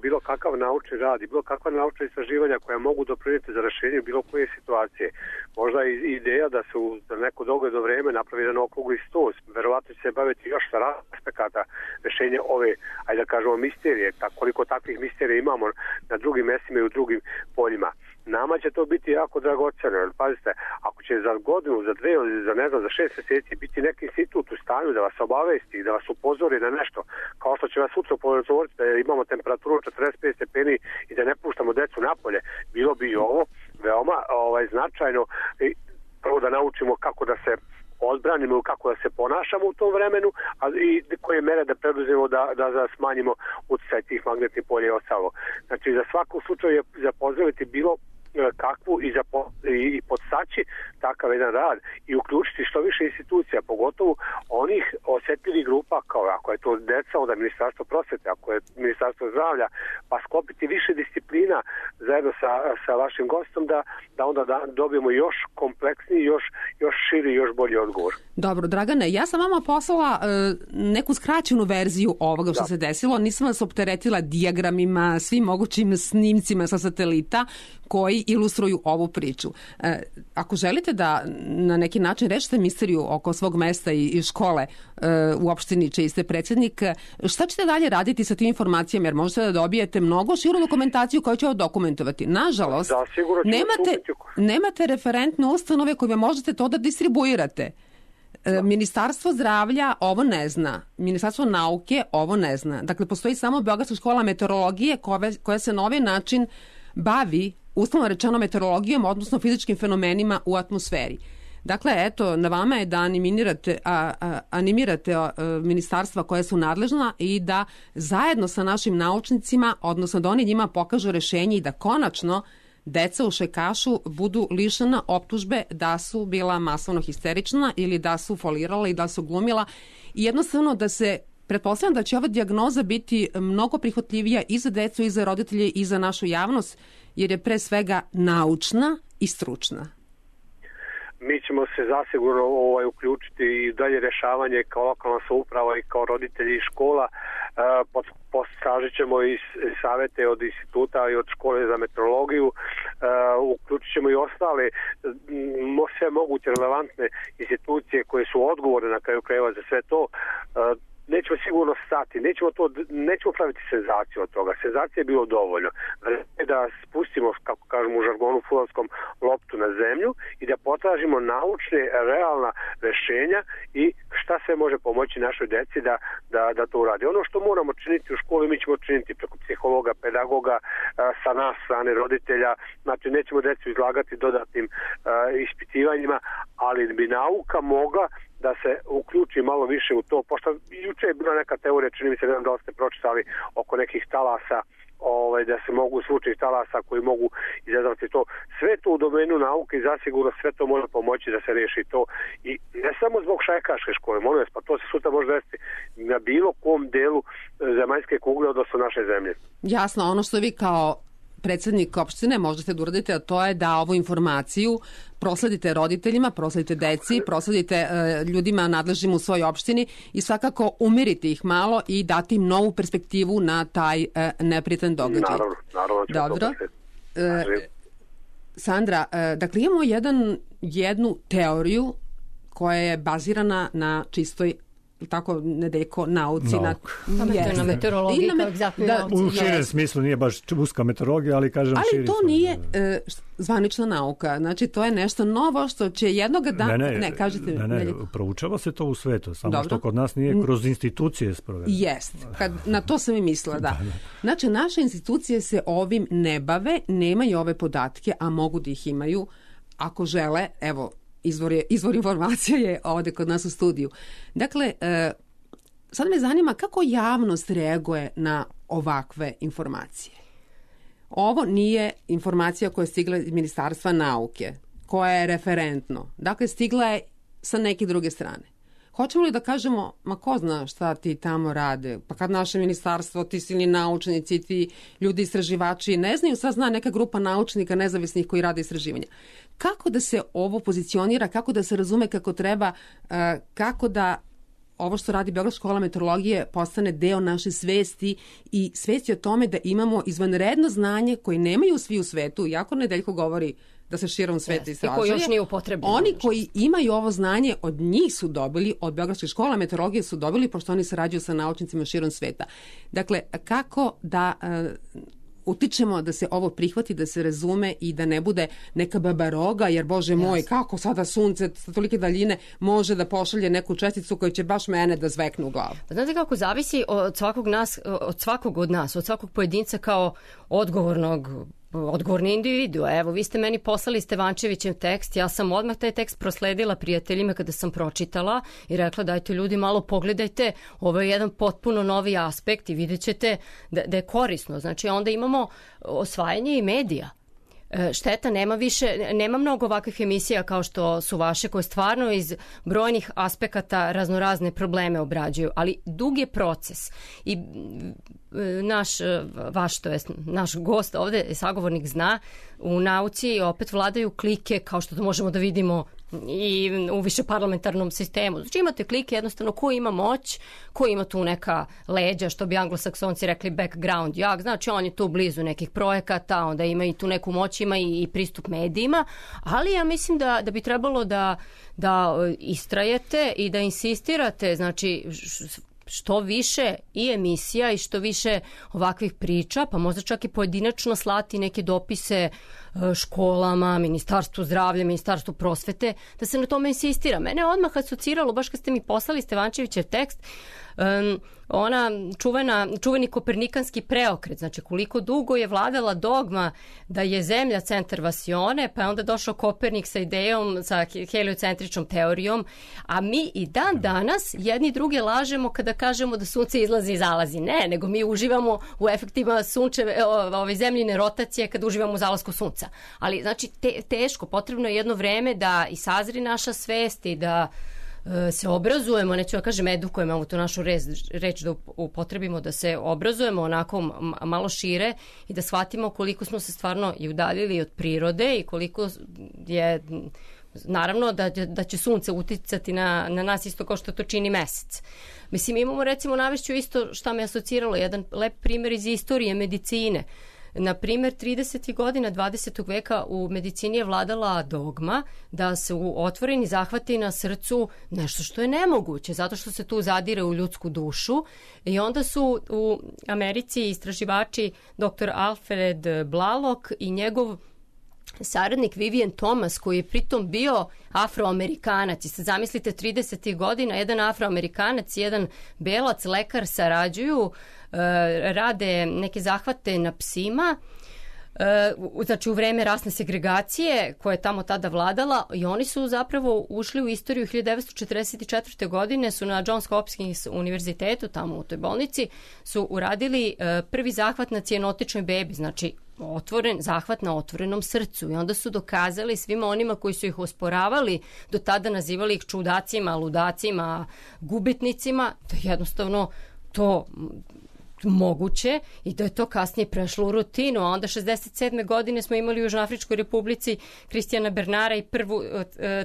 bilo kakav naučni rad i bilo kakva naučna istraživanja koja mogu doprinijeti za rešenje bilo koje situacije. Možda i ideja da se za neko dogledno vreme napravi jedan okrugli sto, verovatno će se baviti još sa aspekata rešenja ove, ajde da kažemo, misterije, koliko takvih misterija imamo na drugim mestima i u drugim poljima. Nama će to biti jako dragoceno, jer pazite, ako će za godinu, za 2, za 6 meseci biti neki institut u stanju da vas obavesti, da vas upozori na nešto, kao što će vas sutra upozoriti da imamo temperaturu 45 stepeni i da ne puštamo decu napolje, bilo bi i ovo veoma značajno, prvo da naučimo kako da se odbranimo i kako da se ponašamo u tom vremenu, a i koje mere da preduzmemo da smanjimo utjecaj tih magnetnih polja i ostalo. Znači, za svaku slučaju je za pozdraviti bilo kakvu i podstaći takav jedan rad i uključiti što više institucija, pogotovo onih osjetljivih grupa, kao ako je to deca, onda Ministarstvo prosvete, ako je Ministarstvo zdravlja, pa sklopiti više disciplina zajedno sa vašim gostom da onda dobijemo još kompleksniji, još širi, još bolji odgovor. Dobro, Dragane, ja sam vama poslala neku skraćenu verziju ovoga što se desilo, nisam vas opteretila dijagramima, svim mogućim snimcima sa satelita koji ilustruju ovu priču. Ako želite da na neki način rešite misteriju oko svog mesta i škole u opštini čiji ste predsjednik, šta ćete dalje raditi sa tim informacijama, jer možete da dobijete mnogo širu dokumentaciju koju će ovo dokumentovati. Nažalost, nemate referentne ustanove koje možete to da distribuirate. Ministarstvo zdravlja ovo ne zna. Ministarstvo nauke ovo ne zna. Dakle, postoji samo Beogradska škola meteorologije koja se na ovaj način bavi, uslovno rečeno, meteorologijom, odnosno fizičkim fenomenima u atmosferi. Dakle, eto, na vama je da animirate ministarstva koja su nadležna i da zajedno sa našim naučnicima, odnosno da oni njima pokažu rešenje i da konačno deca u Šajkašu budu lišena optužbe da su bila masovno histerična ili da su folirala i da su glumila. I jednostavno da se pretpostavljam da će ova dijagnoza biti mnogo prihvatljivija i za decu i za roditelje i za našu javnost, jer je pre svega naučna i stručna. Mi ćemo se zasigurno uključiti i dalje rešavanje kao lokalna samouprava i kao roditelji i škola. Postražit ćemo i savete od instituta i od škole za meteorologiju. Uključit ćemo i ostale sve moguće relevantne institucije koje su odgovorne na kraju krajeva za sve to. Nećemo sigurno stati, nećemo praviti senzaciju od toga. Senzacija je bilo dovoljno. Da spustimo, kako kažemo u žargonu fudbalskom, loptu na zemlju i da potražimo naučne, realna rešenja i šta sve može pomoći našoj deci da to uradi. Ono što moramo činiti u školi, mi ćemo činiti preko psihologa, pedagoga, sa nas strane roditelja. Znači, nećemo decu izlagati dodatnim ispitivanjima, ali bi nauka mogla da se uključi malo više u to, pošto juče je bila neka teorija, čini mi se, da ste pročitali oko nekih talasa, da se mogu slučaji talasa koji mogu izazvati to. Sve to u domenu nauke i zasigurno sve to može pomoći da se reši to. I ne samo zbog Šajkaške škole, molim vas, pa to se sutra može desiti na bilo kom delu zemaljske kugle, odnosno naše zemlje. Jasno, ono što vi kao predsjednik opštine možete da uradite, a to je da ovu informaciju prosledite roditeljima, prosledite deci, prosledite ljudima nadležnim u svojoj opštini i svakako umiriti ih malo i dati im novu perspektivu na taj neprijetan događaj. Naravno. Dobro. Sandra, dakle imamo jednu teoriju koja je bazirana na čistoj tako Nedeljko nauci na meteorologiji kao egzaktnoj nauci. U širem smislu nije baš uska meteorologija, ali kažem širi. Ali to nije zvanična nauka. Znači to je nešto novo što će jednog dana... Ne, proučava se to u svetu, samo što kod nas nije kroz institucije sprovedeno. Jest, na to sam i mislila, da. Znači naše institucije se ovim ne bave, nemaju ove podatke, a mogu da ih imaju ako žele, evo, izvor informacija je ovde kod nas u studiju. Dakle, sad me zanima kako javnost reaguje na ovakve informacije. Ovo nije informacija koja je stigla iz Ministarstva nauke, koja je referentno. Dakle, stigla je sa neke druge strane. Hoćemo li da kažemo, ma ko zna šta ti tamo rade? Pa kad naše ministarstvo, ti silni naučnici, ti ljudi istraživači ne znaju, sad zna neka grupa naučnika nezavisnih koji rade istraživanja. Kako da se ovo pozicionira, kako da se razume kako treba, kako da ovo što radi Beogradska škola meteorologije postane deo naše svesti i svesti o tome da imamo izvanredno znanje koje nemaju svi u svetu, iako Nedeljko govori da se širom sveta istražuje. I koji još nije upotrebljeno. Oni koji imaju ovo znanje, od njih su dobili, od Beogradske škola meteorologije su dobili, pošto oni sarađuju sa naučnicima širom sveta. Dakle, kako da utičemo da se ovo prihvati, da se razume i da ne bude neka babaroga, jer Bože moj, kako sada sunce sa tolike daljine može da pošalje neku česticu koja će baš mene da zvekne u glavu. Znate kako zavisi od svakog od nas, od svakog pojedinca kao odgovorni individu. Evo, vi ste meni poslali Stevančevićev tekst, ja sam odmah taj tekst prosledila prijateljima kada sam pročitala i rekla dajte ljudi malo pogledajte, ovo je jedan potpuno novi aspekt i vidjet ćete da je korisno. Znači onda imamo osvajanje i medija. Šteta, nema mnogo ovakvih emisija kao što su vaše koje stvarno iz brojnih aspekata raznorazne probleme obrađuju, ali dug je proces i naš gost ovde, sagovornik zna, u nauci opet vladaju klike kao što to možemo da vidimo i u višeparlamentarnom sistemu. Znači imate klike jednostavno ko ima moć, ko ima tu neka leđa, što bi anglosaksonci rekli background jak, znači on je tu blizu nekih projekata, onda ima i tu neku moć, ima i pristup medijima, ali ja mislim da bi trebalo da istrajete i da insistirate, znači što više i emisija i što više ovakvih priča, pa možda čak i pojedinačno slati neke dopise školama, Ministarstvu zdravlja, Ministarstvu prosvete, da se na tome insistira. Mene odmah asociralo, baš kad ste mi poslali Stevančevićev tekst, ona čuveni kopernikanski preokret, znači koliko dugo je vladala dogma da je Zemlja centar vasione, pa je onda došao Kopernik sa idejom, sa heliocentričnom teorijom, a mi i dan danas jedni druge lažemo kada kažemo da sunce izlazi i zalazi. Ne, nego mi uživamo u efektima zemljine rotacije kada uživamo u zalasku sunca. Ali znači teško, potrebno je jedno vreme da i sazri naša svest i da se obrazujemo, neću da kažem edukujemo, ovu tu našu reč da upotrebimo, da se obrazujemo onako malo šire i da shvatimo koliko smo se stvarno i udaljili od prirode i koliko je, naravno da će sunce uticati na nas isto kao što to čini mesec. Mislim, imamo recimo, navešću isto šta me asociralo, jedan lep primjer iz istorije medicine. Na primjer, 30. godina 20. veka u medicini je vladala dogma da su otvoreni zahvati na srcu nešto što je nemoguće, zato što se tu zadire u ljudsku dušu. I onda su u Americi istraživači dr. Alfred Blalock i njegov saradnik Vivian Thomas, koji je pritom bio Afroamerikanac. I sad zamislite, 30. godina, jedan Afroamerikanac i jedan belac lekar sarađuju, rade neke zahvate na psima, znači u vreme rasne segregacije koja je tamo tada vladala, i oni su zapravo ušli u istoriju. 1944. godine su na Johns Hopkins univerzitetu, tamo u toj bolnici, su uradili prvi zahvat na cijanotičnoj bebi, znači otvoren zahvat na otvorenom srcu, i onda su dokazali svima onima koji su ih osporavali, do tada nazivali ih čudacima, ludacima, gubitnicima, da jednostavno to moguće i da je to kasnije prešlo u rutinu. A onda 67. godine smo imali u Južnoafričkoj republici Kristijana Bernara i prvu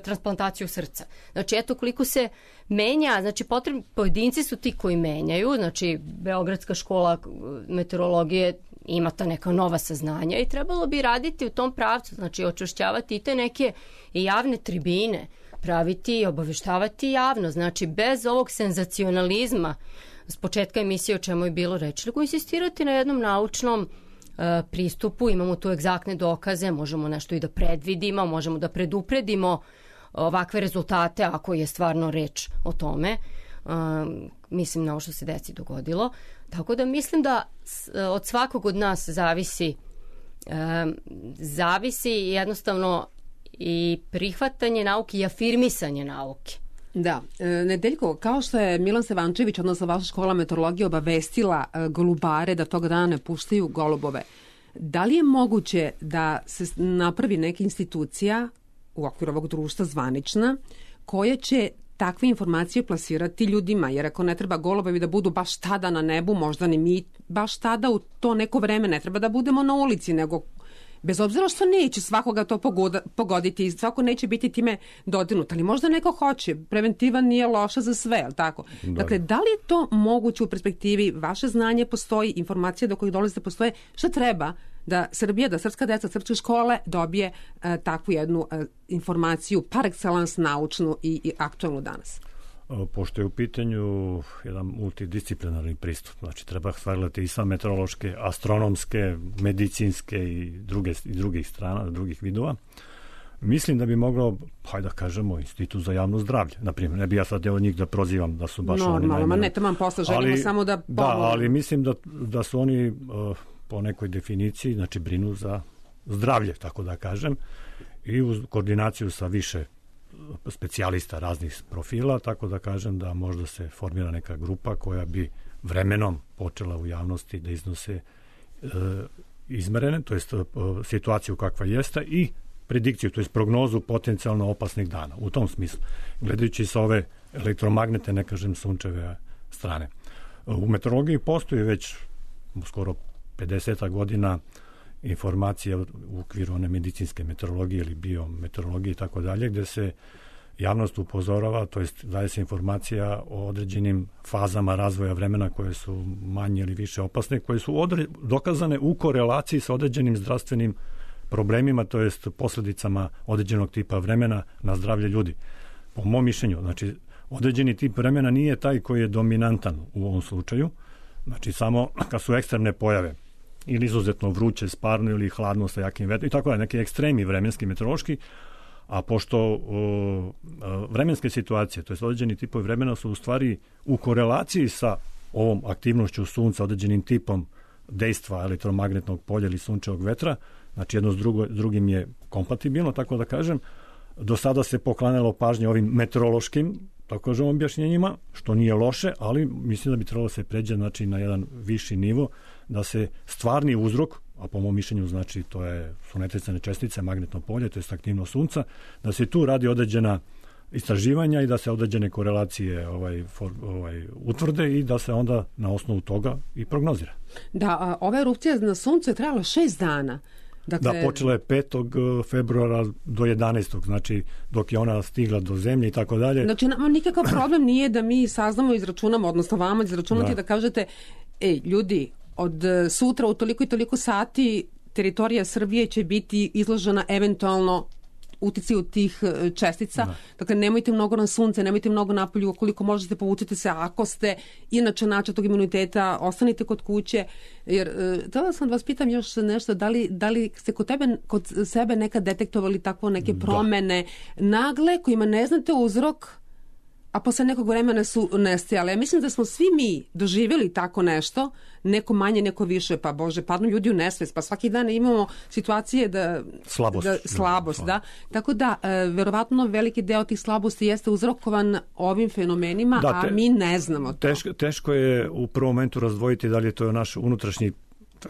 transplantaciju srca. Znači, eto koliko se menja, znači pojedinci su ti koji menjaju, znači Beogradska škola meteorologije ima ta neka nova saznanja i trebalo bi raditi u tom pravcu, znači očvršćavati i te neke javne tribine, praviti i obaveštavati javno, znači bez ovog senzacionalizma s početka emisije o čemu je bilo reči, nego insistirati na jednom naučnom pristupu. Imamo tu egzaktne dokaze, možemo nešto i da predvidimo, možemo da predupredimo ovakve rezultate ako je stvarno reč o tome. Mislim na ovo što se deci dogodilo. Tako da mislim da od svakog od nas zavisi jednostavno i prihvatanje nauke i afirmisanje nauke. Da, Nedeljko, kao što je Milan Stevančević, odnosno vaša škola meteorologije, obavestila golubare da tog dana ne puštaju golubove, da li je moguće da se napravi neka institucija u okviru ovog društva zvanična koja će takve informacije plasirati ljudima, jer ako ne treba golubovi da budu baš tada na nebu, možda ni mi baš tada u to neko vreme ne treba da budemo na ulici, nego bez obzira što neće svakoga to pogoditi i svako neće biti time dodirnut, ali možda neko hoće. Preventiva nije loša za sve, ali tako? Dakle, da li je to moguće u perspektivi? Vaše znanje postoji, informacije do kojih dolazite postoje. Šta treba da Srbija, da srpska deca, srpske škole dobije takvu jednu informaciju par excellence naučnu i aktualnu danas? Pošto je u pitanju jedan multidisciplinarni pristup, znači treba sagledati i sa meteorološke, astronomske, medicinske i drugih strana, drugih vidova. Mislim da bi moglo, hajde da kažemo, Institut za javno zdravlje, naprimjer, ne bi ja sad od njih da prozivam da su baš oni najbolji. Ne trebam posle, želimo samo da pomogu. Da, ali mislim da su oni po nekoj definiciji, znači brinu za zdravlje, tako da kažem, i uz koordinaciju sa više specijalista raznih profila, tako da kažem da možda se formira neka grupa koja bi vremenom počela u javnosti da iznose izmerene, to jest situaciju kakva jeste i predikciju, to jest prognozu potencijalno opasnih dana. U tom smislu, gledajući sa ove elektromagnete, ne kažem sunčeve strane. U meteorologiji postoji već skoro 50 godina informacija u okviru one medicinske meteorologije ili biometeorologije i tako dalje, gde se javnost upozorava, to jest daje se informacija o određenim fazama razvoja vremena koje su manje ili više opasne, koje su dokazane u korelaciji sa određenim zdravstvenim problemima, to jest posljedicama određenog tipa vremena na zdravlje ljudi. Po mom mišljenju, znači određeni tip vremena nije taj koji je dominantan u ovom slučaju, znači samo kad su ekstremne pojave ili izuzetno vruće, sparno ili hladno sa jakim vetrom i tako je, neki ekstremi vremenski, meteorološki, a pošto vremenske situacije, to je određeni tipovi vremena su u stvari u korelaciji sa ovom aktivnošću sunca, određenim tipom dejstva elektromagnetnog polja ili sunčevog vetra, znači jedno s drugim je kompatibilno, tako da kažem, do sada se poklanjalo pažnje ovim meteorološkim, tako kažem, objašnjenjima, što nije loše, ali mislim da bi trebalo se pređe znači, na jedan viši nivo, da se stvarni uzrok, a po mom mišljenju znači to su netresne čestice, magnetno polje, to je aktivnost sunca, da se tu radi određena istraživanja i da se određene korelacije utvrde i da se onda na osnovu toga i prognozira. Da, ova erupcija na suncu je trajala 6 dana. Dakle, da, počela je 5. februara do 11. znači dok je ona stigla do zemlje i tako dalje. Znači, nikakav problem nije da mi saznamo i izračunamo, odnosno vama izračunati da kažete, ljudi, od sutra u toliko i toliko sati teritorija Srbije će biti izložena eventualno uticaju tih čestica. Dakle, nemojte mnogo na sunce, nemojte mnogo napolju, koliko možete povučite se, ako ste inače način tog imuniteta, ostanite kod kuće. Jer, htjela sam vas pitam još nešto, da li ste kod sebe nekad detektovali takvo neke promene nagle, kojima ne znate uzrok, a posle nekog vremena su nestajale. Ja mislim da smo svi mi doživjeli tako nešto, neko manje, neko više, pa Bože, padnu ljudi u nesvest, pa svaki dan imamo situacije da... Slabost, da. Tako da, verovatno veliki deo tih slabosti jeste uzrokovan ovim fenomenima, a mi ne znamo to. Teško je u prvom momentu razdvojiti da li je to naš unutrašnji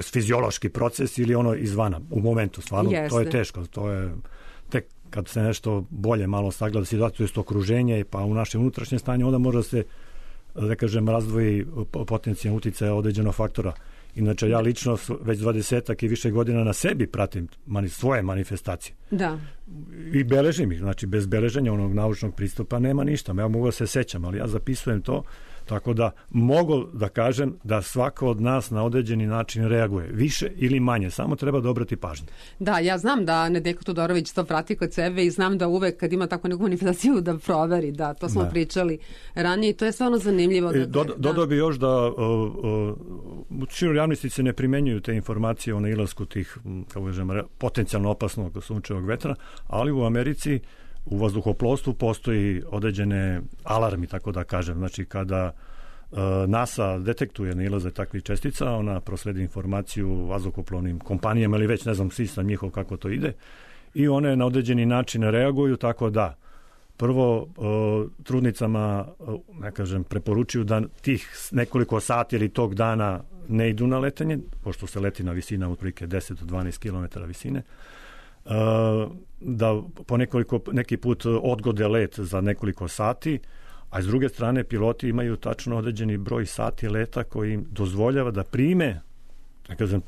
fiziološki proces ili ono izvana. U momentu, stvarno, to je teško. To je tek kad se nešto bolje malo sagleda situaciju, to okruženje, pa u naše unutrašnje stanje, onda može se, da kažem, razdvoji potencijalni uticaj određenog faktora. Inače, ja lično već 20-ak i više godina na sebi pratim svoje manifestacije. Da. I beležim ih, znači bez beleženja onog naučnog pristupa nema ništa. Ja mogu da se sećam, ali ja zapisujem to, tako da mogu da kažem da svako od nas na određeni način reaguje, više ili manje, samo treba da obrati pažnju. Da, ja znam da Nedeljko Todorović to prati kod sebe i znam da uvek kad ima takvu neku manifestaciju da proveri, da, to smo pričali ranije i to je stvarno zanimljivo. Dodao bi još da u široj javnosti se ne primenjuju te informacije o nailasku tih, kako kažem, potencijalno opasnog sunčevog vetra, ali u Americi u vazduhoplovstvu postoji određene alarmi, tako da kažem. Znači, kada NASA detektuje nailaze takvih čestica, ona prosledi informaciju vazduhoplovnim kompanijama ili već ne znam sistem njihov kako to ide i one na određeni način reaguju, tako da prvo trudnicama, ne kažem, preporučuju da tih nekoliko sati ili tog dana ne idu na letenje, pošto se leti na visina otprilike 10 do 12 km visine, da po neki put odgode let za nekoliko sati, a s druge strane piloti imaju tačno određeni broj sati leta koji im dozvoljava da prime,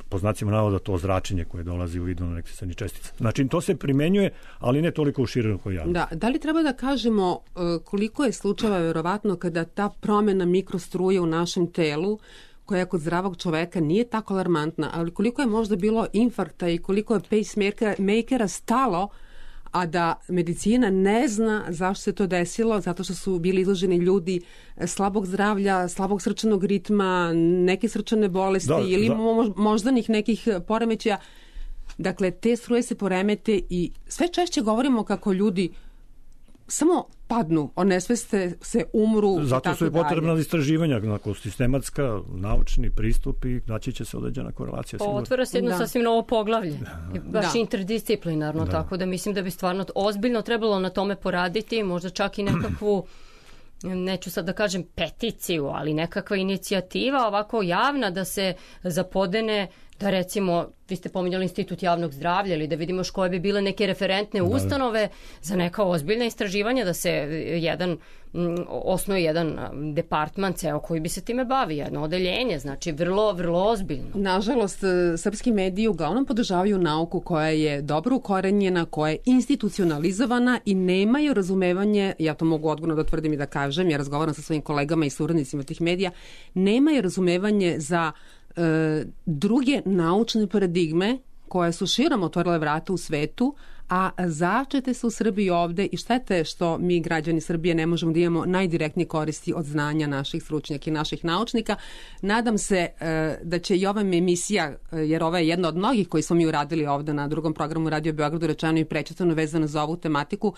po znacima navoda, to zračenje koje dolazi u vidu nekih čestica. Znači, to se primenjuje, ali ne toliko u širokoj javnosti. Da li treba da kažemo koliko je slučajeva verovatno kada ta promjena mikrostruje u našem telu, koja kod zdravog čoveka nije tako alarmantna, ali koliko je možda bilo infarkta i koliko je pacemakera stalo, a da medicina ne zna zašto se to desilo, zato što su bili izloženi ljudi slabog zdravlja, slabog srčanog ritma, neke srčane bolesti ili moždanih nekih poremećaja. Dakle, te struje se poremete i sve češće govorimo kako ljudi samo padnu, onesveste se, umru. Zato su i potrebna istraživanja, sistematska, naučni pristup i naći će se određena korelacija. Otvara se jedno sasvim novo poglavlje. Baš interdisciplinarno, tako da mislim da bi stvarno ozbiljno trebalo na tome poraditi, možda čak i nekakvu, neću sad da kažem peticiju, ali nekakva inicijativa ovako javna da se zapodene, da recimo, vi ste pominjali Institut javnog zdravlja ili da vidimo koje bi bile neke referentne ustanove za neka ozbiljna istraživanja, da se osnuje jedan departman ceo koji bi se time bavi, jedno odeljenje, znači vrlo, vrlo ozbiljno. Nažalost, srpski mediji uglavnom podržavaju nauku koja je dobro ukorenjena, koja je institucionalizovana i nemaju razumevanje, ja to mogu odgovorno da tvrdim i da kažem, ja razgovaram sa svojim kolegama i suradnicima tih medija, nemaju razumevanje za druge naučne paradigme koje su širom otvorile vrata u svetu, a začete se u Srbiji ovde i šteta je što mi građani Srbije ne možemo da imamo najdirektnije koristi od znanja naših stručnjaka i naših naučnika. Nadam se da će i ova emisija, jer ova je jedna od mnogih koji smo mi uradili ovde na drugom programu Radio Beogradu, rečeno i prečitano vezano za ovu tematiku.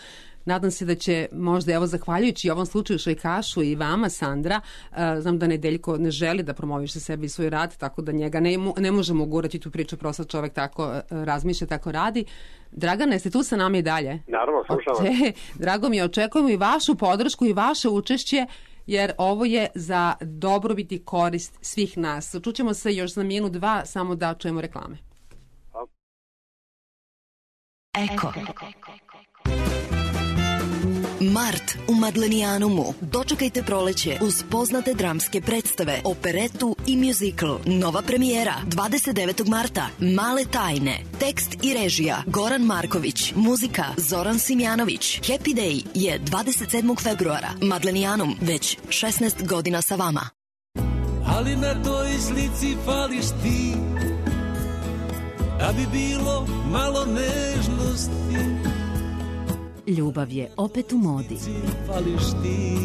Nadam se da će možda, evo, zahvaljujući ovom slučaju Šajkašu i vama, Sandra, znam da Nedeljko ne želi da promoviše sebi i svoj rad, tako da njega ne možemo ugurati tu priču, prosto čovek tako razmišlja, tako radi. Dragane, jeste tu sa nama i dalje? Naravno, slušam. Drago mi je, očekujemo i vašu podršku i vaše učešće, jer ovo je za dobrobit i korist svih nas. Čućemo se još za minut, dva, samo da čujemo reklame. Eko. Mart u Madlenijanumu. Dočekajte proleće uz poznate dramske predstave, operetu i muzikl. Nova premijera 29. marta. Male tajne. Tekst i režija Goran Marković. Muzika Zoran Simjanović. Happy Day je 27. februara. Madlenijanum već 16 godina sa vama. Ali na toj slici fališ ti, da bi bilo malo nežnosti. Ljubav je opet u modi. Fališ ti,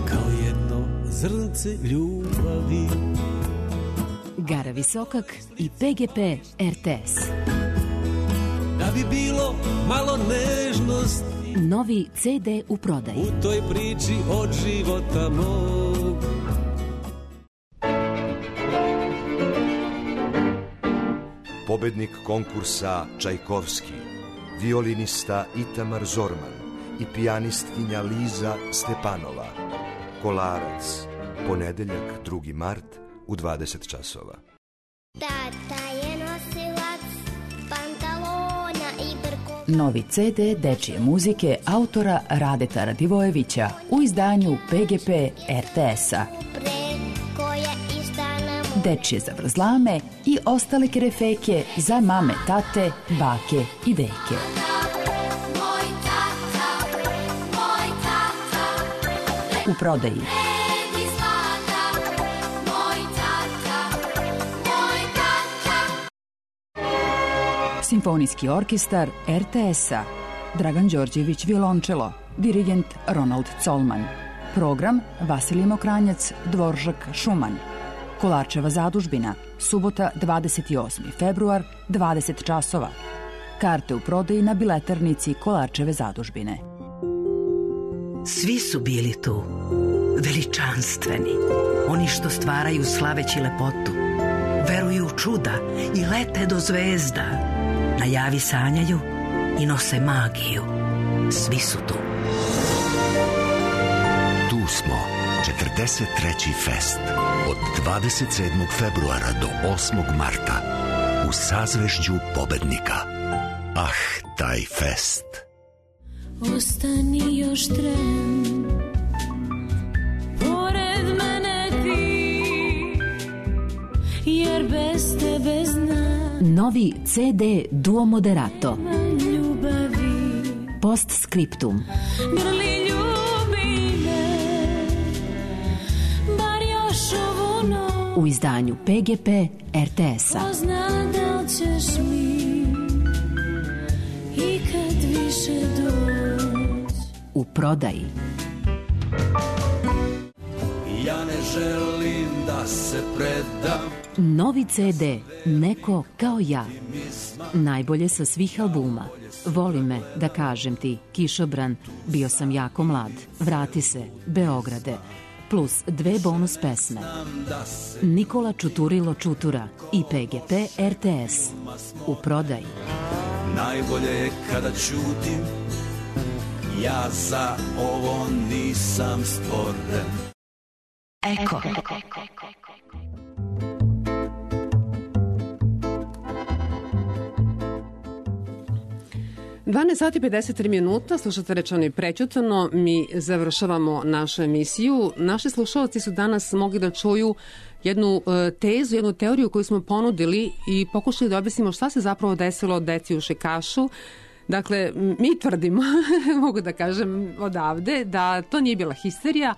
kao jedno zrnce ljubavi. Gara Visokak i PGP RTS. Da bi bilo malo nežnosti. Novi CD u prodaji. U toj priči od života mog. Pobednik konkursa Čajkovski, violinista Itamar Zorman i pijanistkinja Liza Stepanova. Kolarac, ponedeljak 2. mart u 20 časova. Tata je nosilac pantalona i brko. Novi CD dečije muzike autora Radeta Radivojevića u izdanju PGP RTS-a. Dečije zavrzlame i ostale kerefeke za mame, tate, bake i deke. U prodaji. Simfonijski orkestar RTS-a. Dragan Đorđević violončelo, dirigent Ronald Colman. Program Vasilij Mokranjac, Dvoržak Šuman. Kolarčeva zadužbina, subota 28. februar, 20 časova. Karte u prodaji na biletarnici Kolarčeve zadužbine. Svi su bili tu, veličanstveni, oni što stvaraju slaveći lepotu, veruju u čuda i lete do zvezda, na javi sanjaju i nose magiju. Svi su tu. Tu smo, 43. fest. Od 27. februara do 8. marta u sazvežđu pobednika. Ah, taj fest. Ostani još tren, pored mene ti, jer bez tebe znam. Novi CD Duo Moderato. Ljubavi. Postscriptum. Grli ljubi me, bar još ovu noć. U izdanju PGP RTS-a. Pozna da li ćeš mi ikad više doći. U prodaji. Ja ne želim da se predam. Novi CD Neko kao ja. Najbolje sa svih albuma. Voli me, da kažem ti, Kišobran, Bio sam jako mlad, Vrati se, Beograde, plus 2 bonus pesme. Nikola Čuturilo Čutura i PGP RTS. U prodaji. Najbolje je kada ćutim, ja za ovo nisam stvoren. Eko. 12 sati 53 minuta, slušate Rečeno i prećutano, mi završavamo našu emisiju. Naši slušalci su danas mogli da čuju jednu tezu, jednu teoriju koju smo ponudili i pokušali da objasnimo šta se zapravo desilo deci u Šajkašu. Dakle, mi tvrdimo, mogu da kažem odavde, da to nije bila histerija,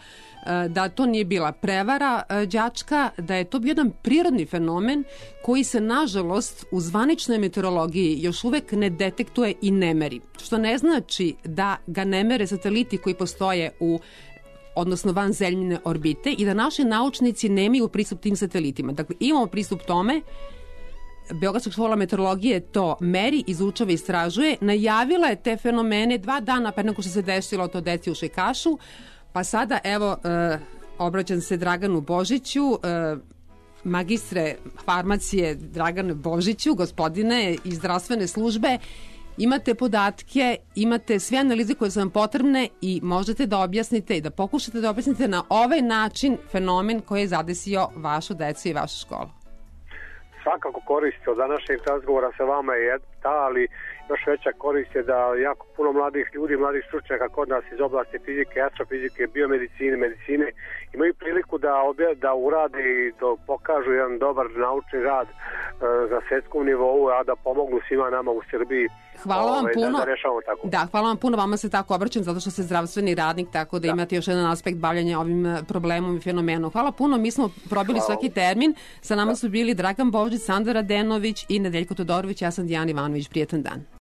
da to nije bila prevara đačka, da je to bio jedan prirodni fenomen koji se nažalost u zvaničnoj meteorologiji još uvek ne detektuje i ne meri. Što ne znači da ga ne mere sateliti koji postoje odnosno vanzemljine orbite i da naši naučnici nemaju pristup tim satelitima. Dakle, imamo pristup tome. Beogradska škola meteorologije to meri, izučava i istražuje. Najavila je te fenomene 2 dana pre nego što se desilo to deci u Šajkašu, pa sada evo obraćam se Draganu Božiću, magistre farmacije Dragane Božiću, gospodine iz zdravstvene službe. Imate podatke, imate sve analize koje su vam potrebne i možete da objasnite i da pokušate da objasnite na ovaj način fenomen koji je zadesio vašu decu i vašu školu. Svakako koristi od današnjeg razgovora sa vama je ta, ali još veća korist je da jako puno mladih ljudi, mladih stručnjaka kod nas iz oblasti fizike, astrofizike, biomedicine, medicine imaju priliku da urade i da pokažu jedan dobar naučni rad za svetskom nivou, a da pomognu svima nama u Srbiji. Hvala vam puno. Da rešavamo tako. Da, hvala vam puno, vama se tako obraćam zato što ste zdravstveni radnik, tako da imate još jedan aspekt bavljanja ovim problemom i fenomenom. Hvala puno, mi smo probili svaki termin. Sa nama su bili Dragan Božić, Sandra Radenović i Nedeljko Todorović, ja sam Dijana Ivanović. Prijetan dan.